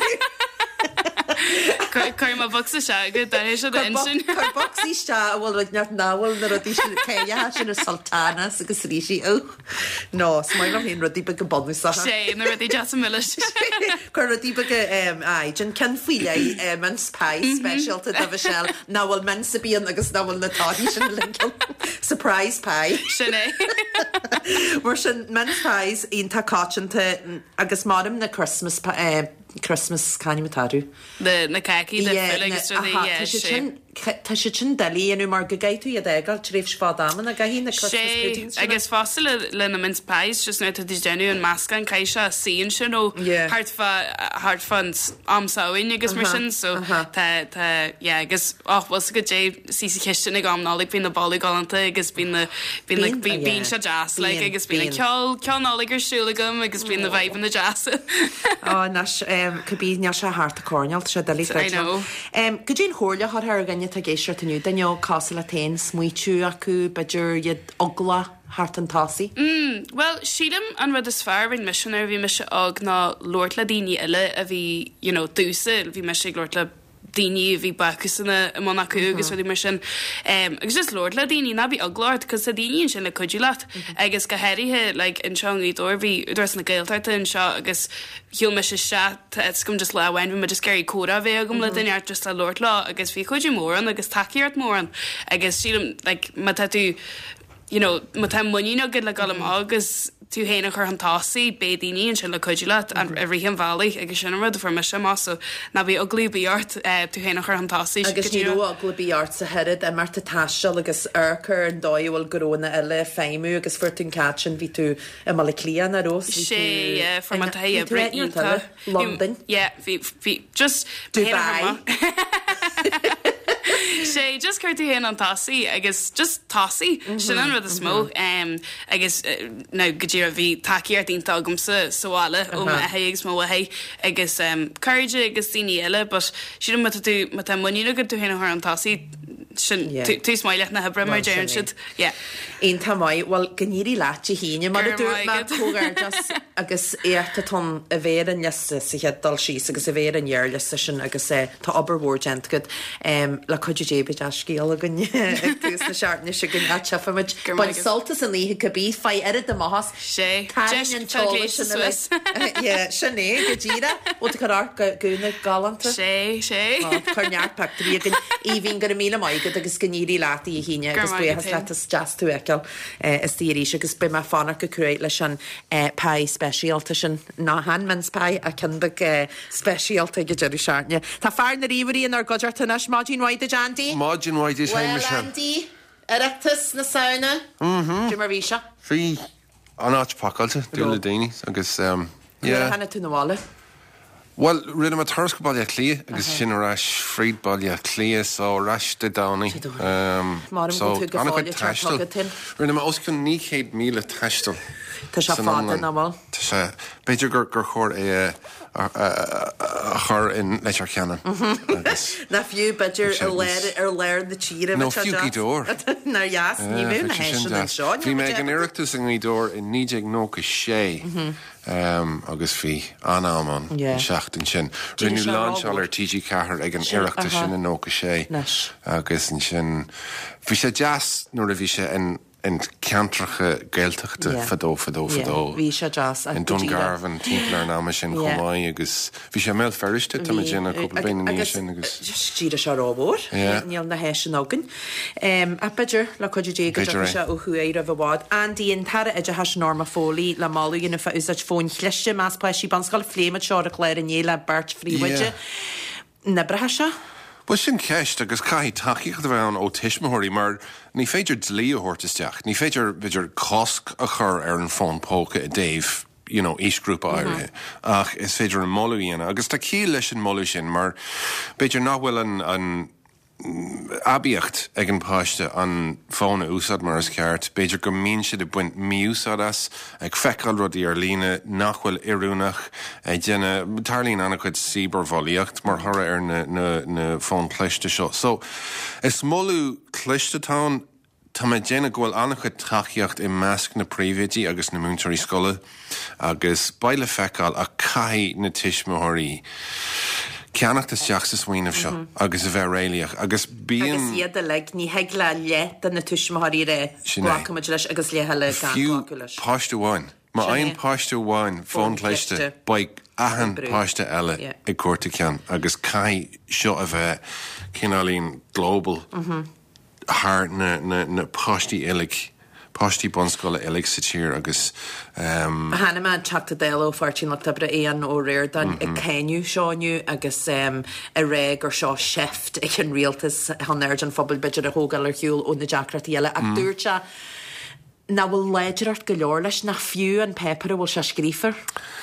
Speaker 9: Cuirfidh mé bocsa isteach agat, déarfaidh sé d'intinn.
Speaker 1: Cuir bocsa isteach a bhfuil rud inteacht nach bhfuil na rudaí sin cailleacha sin na sultanas agus rísí. Ugh. No, is maith liom féin rudaí beaga bunúsacha.
Speaker 9: Sé, na rudaí deasa milis.
Speaker 1: Cuir rudaí beaga, aye, déan ceann faoi leith, mince pie speisialta do Mhichelle, nach bhfuil mince ar bith ann agus nach bhfuil na torthaí sin uilig ann. Surprise pie.
Speaker 9: Sin é.
Speaker 1: Mar sin, mince pies iontach coitianta agus maram na Christmas, Christmas, c'ainm atá orthu?
Speaker 9: Na, na cácaí difriúla agus rudaí, yeah,
Speaker 1: Tá siad
Speaker 9: sé.
Speaker 1: sin, tá siad sin doiligh a dhéanamh mar go gcaithfidh tú iad a fhágáil tréimhse fada ama, nach gcaithfidh na Christmas
Speaker 9: Sé,
Speaker 1: puddings sin.
Speaker 9: agus fosta le, le na mince pies, just nuair atá tú ag déanamh an meascán, caithfidh sé suí ansin ó
Speaker 1: Yeah.
Speaker 9: thart fá, thart fán am Samhain agus mar
Speaker 1: Aha,
Speaker 9: sin, so
Speaker 1: aha.
Speaker 9: tá, tá, yeah, agus, och, bhfuil 's agat goidé, suí sa chistin ag am Nollag, bíonn na boladh galánta agus bíonn na, bíonn na,
Speaker 1: Bíonn,
Speaker 9: bíonn,
Speaker 1: yeah.
Speaker 9: bíonn sé deas, like,
Speaker 1: Bíonn,
Speaker 9: agus bíonn an
Speaker 1: bíonn.
Speaker 9: ceol, ceol Nollag ar siúl agam agus bíonn na vibeanna deasa.
Speaker 1: Ó, anois, cibé, níl sé thart an choirnéal, tá sé doiligh
Speaker 9: I know.
Speaker 1: Goidé an chomhairle a thabharfá ar dhuine atá ag éisteacht inniu, duine óg cosúil leat féin, smaoitiú acu, b'fhéidir iad eaglach theacht chun tosaigh?
Speaker 9: Mm, bhuel, sílim an rud is fearr a rinne mise nuair a bhí mise óg ná labhairt le daoine eile a bhí, you know, domhsa, bhí mise ag labhairt le daoine a bhí bácúsanna i mbun acu agus rudaí mar sin. Agus just labhairt le daoine, ná bí eaglach ort, cos tá daoine ansin le cuidiú leat. Agus go háirithe like anseo i nGaoth Dobhair, bhí Údarás na Gaeltachta anseo agus shiúil mise isteach, tá fhios agam just lá amháin bhí mé just ag iarraidh comhrá a bheith agam le duine ort just le labhairt leo agus bhí cuidiú mór ann agus tacaíocht mór ann agus sílim like má tá tú you know, má tá muinín agat le dul amach agus tú féin a chur chun tosaigh, beidh daoine ansin le cuidiú leat i rith an bhealaigh agus sin an rud a fuair mise amach so ná bí eagla ar bith ort tú féin a chur chun tosaigh.
Speaker 1: Agus ní raibh eagla ar bith ort sa oiread imeacht ag taisteal agus amharc ar an dóigh a bhfuil gnónna eile ag feidhmiú agus fuair tú an cead sin, bhí tú i mBaile Átha Cliath, nach raibh? Bhí
Speaker 9: Sé,
Speaker 1: tú
Speaker 9: yeah, fuair mé taithí
Speaker 1: bhí tú
Speaker 9: oibre
Speaker 1: áit neart
Speaker 9: iontach.
Speaker 1: eile, Londain.
Speaker 9: Yeah, bhí, bhí, just
Speaker 1: Dubai.
Speaker 9: Sé, just cuir tú féin chun tosaigh agus just tosaigh, sin an rud is mó. Agus now go díreach bhí tacaíocht iontach agamsa sa bhaile ó m'athair agus mo mháthair agus cairde agus daoine eile but sílim má tá tú, má tá muinín agat tú féin a chur chun tosaigh, sin tús maith leis na hoibre mar a deireann siad. Yeah.
Speaker 1: Iontach maith. Bhuel, go n-éirí leat Dé hAoine. Mar a
Speaker 9: Go raibh
Speaker 1: dúirt
Speaker 9: maith
Speaker 1: mé,
Speaker 9: agat.
Speaker 1: comhghairdeas agus éacht atá ann a bheith ar an liosta sa chéad dul síos agus a bheith ar an ghearrliosta sin agus tá obair mhór déanta agat. Le cuidiú Dé beidh dea-scéal againn ag tús na seachtaine seo chugainn ach tchífimid.
Speaker 9: Go raibh maith
Speaker 1: Bain
Speaker 9: agat.
Speaker 1: sult as an oíche cibé, faigh oiread amach as.
Speaker 9: Sé.
Speaker 1: Tarraing an t-eolas sin
Speaker 9: suas.
Speaker 1: Yeah, sin é, go díreach. Bhfuil tú ag cur amharc go gúna galánta?
Speaker 9: Sé, sé.
Speaker 1: Ó, cuir neart pictiúirí againn. Aoibhinn, go raibh míle maith agat agus go n-éirí leat Dé hAoine
Speaker 9: Go
Speaker 1: agus
Speaker 9: raibh maith agat
Speaker 1: buíochas leat is deas tú a fheiceáil istigh arís agus beidh mé ag fanacht go cruaidh leis an pie speisialta sin, ná chan mince pie ach ceann beag speisialta ag an deireadh seachtaine. Tá fear na ríomhairí inár gcuideachta anois. Maidin mhaith duit Andy.
Speaker 10: Maidin mhaith duit féin
Speaker 1: Bhuel
Speaker 10: Michelle.
Speaker 1: Andy, Oireachtas na Samhna, cad é mar bhí sé?
Speaker 10: Bhí an áit pacáilte dúinn le daoine agus
Speaker 1: Nuair a
Speaker 10: yeah.
Speaker 1: tháinig tú 'na bhaile?
Speaker 10: Bhuel, rinne mé turas go Baile Átha Cliath agus ansin ar ais fríd Baile Átha Cliath so ar ais Dé Domhnaigh.
Speaker 1: Dé Domhnaigh. Maram
Speaker 10: So
Speaker 1: go bhfuil tú go
Speaker 10: an-chuid
Speaker 1: fóill ag teacht
Speaker 10: taistil.
Speaker 1: chugat féin.
Speaker 10: Rinne mé os cionn 900 míle taistil
Speaker 1: Tá sé
Speaker 10: san
Speaker 1: fada,
Speaker 10: iomlán.
Speaker 1: nach bhfuil?
Speaker 10: Tá sé, b'fhéidir gur gur chóir é a a chur in Leitir Ceanainn agus.
Speaker 1: Nó fiú b'fhéidir
Speaker 10: Bheadh sé
Speaker 1: i lár
Speaker 10: níos.
Speaker 1: ar lár na tíre
Speaker 10: Nó
Speaker 1: bheadh sé
Speaker 10: fiú
Speaker 1: deas.
Speaker 10: Gaoth Dobhair.
Speaker 1: Nár dheas, ní
Speaker 10: Yeah,
Speaker 1: bheadh na
Speaker 10: bheadh sé sin
Speaker 1: háiseanna
Speaker 10: deas.
Speaker 1: anseo,
Speaker 10: Bhí
Speaker 1: níl
Speaker 10: mé
Speaker 1: muid
Speaker 10: ag an
Speaker 1: ábalta.
Speaker 10: Oireachtas i nGaoth Dobhair i 1996 agus bhí an-am ann
Speaker 1: Yeah.
Speaker 10: an seachtain sin.
Speaker 1: D'éirigh
Speaker 10: Rinneadh
Speaker 1: sé
Speaker 10: lainseáil
Speaker 1: rómhór.
Speaker 10: ar TG4 ag an
Speaker 1: Sin,
Speaker 10: Oireachtas
Speaker 1: aha.
Speaker 10: sin i 96
Speaker 1: Anois.
Speaker 10: agus ansin bhí sé deas nuair a bhí sé in in ceantracha Gaeltachta fadó fadó fadó.
Speaker 1: Bhí sé deas.
Speaker 10: In Dungarvan timpeall ar an ama sin chomh maith agus bhí sé i mBéal Feirste tá mé ag déanamh cúpla bliain ina dhiaidh sin agus.
Speaker 1: D'éirigh sé rómhór. Níl na háiseanna againn. Ach b'fhéidir, le cuidiú Dé, go dtiocfaidh sé ó thuaidh roimh i bhfad. Andy, an tAire Oideachais Norma Foley le moladh a dhéanamh fá úsáid fóin chliste i measc páistí bunscoile. Phléigh muid seo ar an chlár inné le beirt phríomhoide. An oibreoidh sé?
Speaker 10: Bhuel, sin ceist, agus caithfidh tacaíocht a bheith ann ó tuismitheoirí mar ní féidir dlí a thabhairt isteach, ní féidir, b'fhéidir, cosc a chur ar an fón póca i dtaobh, you know, aoisghrúpa áirithe, ach is féidir an moladh a dhéanamh. Agus tá ciall leis an moladh sin mar b'fhéidir nach bhfuil an, an, aibíocht ag an bpáiste an fón a úsáid mar is ceart. B'fhéidir go mbíonn siad ag baint mí-úsáid as, ag feiceáil rudaí ar líne nach bhfuil oiriúnach, ag déanamh, tarlaíonn an-chuid cibearbhulaíocht mar thoradh ar na na fóin chliste seo. So, is moladh cliste atá ann. tá mé ag déanamh go bhfuil an-chuid tacaíocht i measc na príomhoidí agus na múinteoirí scoile agus beidh le feiceáil ach caithfidh na tuismitheoirí ceannacht isteach sa smaoineamh seo agus a bheith réalaíoch agus bíonn.
Speaker 1: Agus iad uilig, ní thig le leath de na tuismitheoirí a rá
Speaker 10: Sin é.
Speaker 1: glacfaimid leis agus leath eile gan
Speaker 10: Fiú
Speaker 1: glacadh leis.
Speaker 10: páiste amháin. Má
Speaker 1: Sin é.
Speaker 10: fhaigheann páiste amháin fón
Speaker 1: Fón
Speaker 10: cliste
Speaker 1: cliste.
Speaker 10: beidh achan
Speaker 1: Ag brú.
Speaker 10: páiste eile
Speaker 1: Yeah.
Speaker 10: ag cuartú ceann agus caithfidh seo a bheith cineáilín global. thar na páistí uilig, páistí bunscoile uilig sa tír agus.
Speaker 1: Chonaic mé an Teachta Dála ó Pháirtí an Lucht Oibre, Aodhán Ó Ríordáin, ag cáineadh seo inniu agus ag rá gur seo seift ag an rialtas chun aird an phobail b'fhéidir a thógáil ar shiúl ó na deacrachtaí eile ach dúirt sé nach bhfuil láidreacht go leor leis, nach fiú an páipéar a bhfuil sé scríofa air.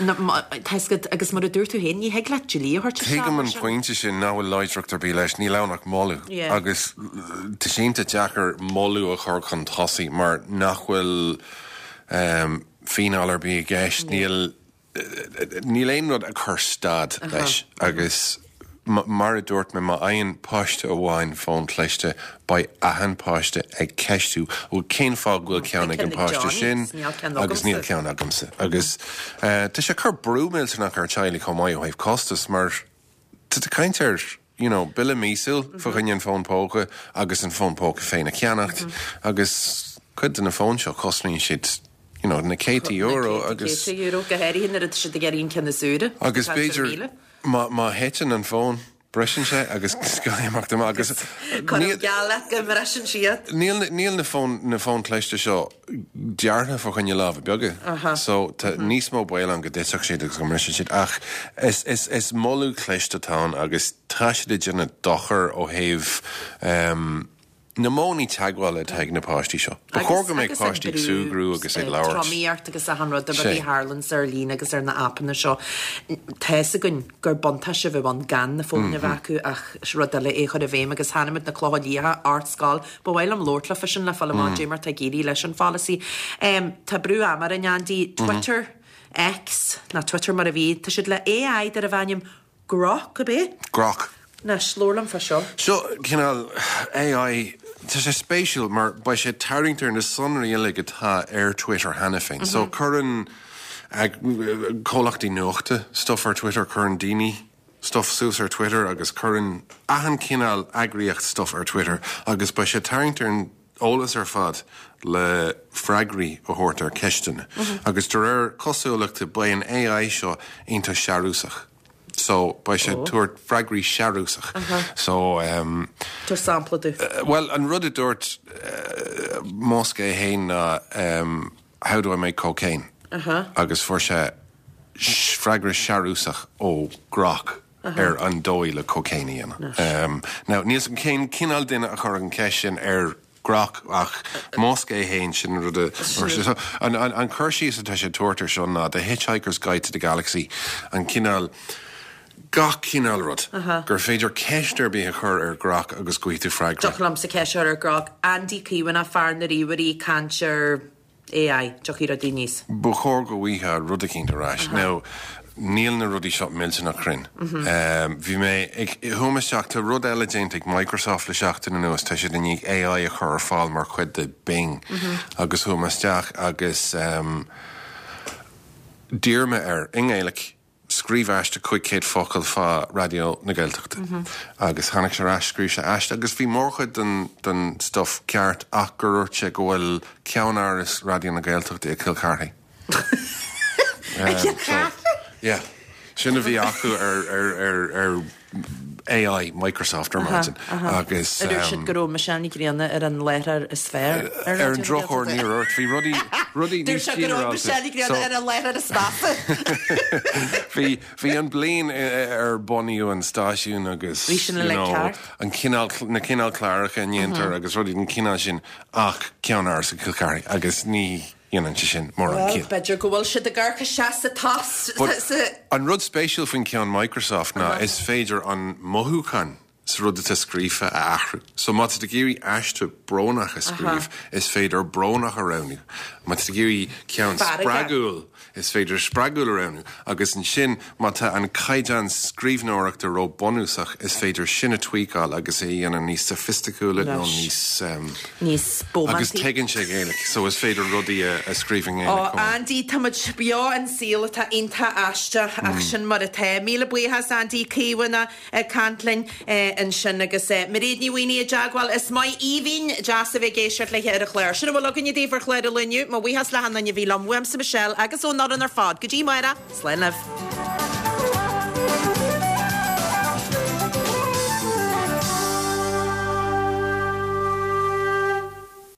Speaker 1: Tá 'fhios agat, agus mar a dúirt tú féin, ní thig leat dlí a thabhairt isteach
Speaker 10: Tuigim
Speaker 1: mar
Speaker 10: an
Speaker 1: sin.
Speaker 10: pointe sin, nach bhfuil láidreacht ar bith leis, níl ann ach moladh.
Speaker 1: Yeah.
Speaker 10: Agus tá sé iontach deacair moladh a chur chun tosaigh mar nach bhfuil fíneáil ar bith i gceist, níl Níl aon rud ag cur stad leis agus mar a dúirt mé, má fhaigheann páiste amháin fón cliste, beidh achan páiste ag ceistiú, bhuel cén fáth go bhfuil ceann ag an páiste sin agus níl ceann agamsa? Agus tá sé ag cur brú millteanach ar teaghlaigh chomh maith ó thaobh costas mar Tá tú ag caint ar, you know, bille míosúil fá choinne an fón póca agus an fón póca féin a cheannacht agus cuid de na fóin seo cosnaíonn siad, you know, na céadta euro agus.
Speaker 1: Na céadta euro, go háirithe nuair atá siad ag iarraidh an ceann is úire.
Speaker 10: Agus b'fhéidir má, má thiteann an fón, briseann sé agus caithfidh amach amach agus.
Speaker 1: Cuirim geall leat go mbriseann siad.
Speaker 10: Níl, níl na fóin, na fóin cliste seo deartha fá choinne lámha beaga so tá níos mó baol ann go dtitfeadh siad agus go mbrisfeadh siad ach is, is, is moladh cliste atá ann agus tá siad ag déanamh dochar ó thaobh ehm na modhanna teagmhála atá ag na páistí seo. Ba chóir go mbeadh páistí ag súgradh agus ag labhairt.
Speaker 1: Tromaíocht agus achan rud, na rudaí a tharlaíonns ar líne agus ar na aipeanna seo. Tá fhios againn gur buntáiste a bheadh ann gan na fóin a bheith acu ach is rud eile é a chur i bhfeidhm agus chonaic muid na clocha liatha, Ardscoil Ba mhaith liom labhairt leo fá sin le fáil amach caidé mar atá ag éirí leis an pholasaí. Tá brú ama orainn, Andy. Twitter, X, nó Twitter mar a bhí, tá siad le AI darbh ainm Grok, ab é?
Speaker 10: Grok.
Speaker 1: Anois, labhair liom fá seo.
Speaker 10: Seo cineál AI, tá sé spéisiúil mar beidh sé ag tarraingt ar na sonraí uilig atá ar Twitter cheana féin. So cuireann comhlachtaí nuachta stuff ar Twitter, cuireann daoine stuff suas ar Twitter agus cuireann achan cineál eagraíocht stuff ar Twitter agus beidh sé ag tarraingt ar an eolas ar fad le freagraí a thabhairt ar ceisteanna. Agus de réir cosúlachta beidh an AI seo iontach searúsach. So beidh sé ag tabhairt freagraí searúsach. So
Speaker 1: ehm. Tabhair sampla
Speaker 10: domh. Bhuel an rud a dúirt Musk é fhéin ná ehm How do I make cocaine? Agus fuair sé freagra searúsach ó Grok ar an dóigh le cocaine a dhéanamh. Now, níl 's agam cén cineál duine a chuirfeadh an cheist sin ar Grok ach Musk é féin, sin an rud a dúirt sé. So, an cur síos atá sé ag tabhairt ar seo ná The Hitchhiker's Guide to the Galaxy, an cineál, gach cineál rud, gur féidir ceist ar bith a chur ar Grok agus go bhfaighidh tú freagra.
Speaker 1: Dtiocfadh liomsa ceist a chur ar Grok. Andy Caomhánach, fear na ríomhairí, caint ar AI, tiocfaidh rudaí aníos.
Speaker 10: Ba chóir go bhfaighfeá rud eicínt ar ais. Now, níl na rudaí seo millteanach cruinn. Bhí mé ag, chuaigh mé isteach, tá rud eile déanta ag Microsoft le seachtain anuas, tá siad i ndiaidh AI a chur ar fáil mar chuid de Bing agus chuaigh mé isteach agus d'iarr mé air, i nGaeilic, Scríobh aiste 500 focal fá Raidió na Gaeltachta. Agus tháinig sé ar ais, scríobh sé aiste agus bhí mórchuid den den stuff ceart ach gur dhúirt sé go bhfuil ceannáras Raidió na Gaeltachta i gCill Charthaigh.
Speaker 1: I Cill Charthaigh?
Speaker 10: Yeah. Sin a bhí acu ar ar ar ar AI, Microsoft ar maidin agus.
Speaker 1: Ar dúirt siad go raibh Michelle Ní Ghrianna ar an láithreoir is fearr
Speaker 10: ar Ar an drochuair níor dhúirt. Bhí rudaí, rudaí
Speaker 1: Dúirt
Speaker 10: níos
Speaker 1: sé go raibh
Speaker 10: ginearálta.
Speaker 1: Michelle Ní Ghrianna ar an láithreoir is measa.
Speaker 10: Bhí, bhí an bliain ar bunaíodh an stáisiún agus
Speaker 1: Bhí sin
Speaker 10: you
Speaker 1: uilig
Speaker 10: know,
Speaker 1: ceart.
Speaker 10: an cineál, na cineál cláracha a ndéantar agus rudaí den chineál sin ach ceannáras i gCill Charthaigh agus ní dhéanann sé sin mórán
Speaker 1: Bhuel,
Speaker 10: ciall.
Speaker 1: b'fhéidir go bhfuil siad ag amharc isteach sa tost
Speaker 10: But
Speaker 1: sa.
Speaker 10: an rud spéisiúil faoin ceann Microsoft ná is féidir an mothúchán. sa rud atá scríofa a athrú. So má tá tú ag iarraidh aiste brónach a scríobh, is féidir brónach a roghnú. Má tá tú ag iarraidh ceann spreagúil, is féidir spreagúil a roghnú. Agus ansin, má tá an caighdeán scríbhneoireachta ró-bunúsach, is féidir sin a tweakáil agus é a dhéanamh níos soifisticiúla nó níos.
Speaker 1: Níos bómántaí.
Speaker 10: Agus tuigeann sé Gaeilge, so is féidir rudaí a scríobh i
Speaker 1: nGaeilge chomh maith. Ó, Andy, tá muid beo in saol atá iontach aisteach, ach sin mar atá. Míle buíochas, Andy Caomhánach. ag caint linn ansin agus Mairéad Ní Mhaonaigh i dteagmháil. Is maith aoibhinn deas a bheith ag éisteacht léi ar an chlár. Sin a bhfuil againne daoibh ar chlár an lae inniu. Mo bhuíochas le hachan duine a bhí liom, uaimse Michelle agus ón fhoireann ar fad. Go dtí amárach, slán libh.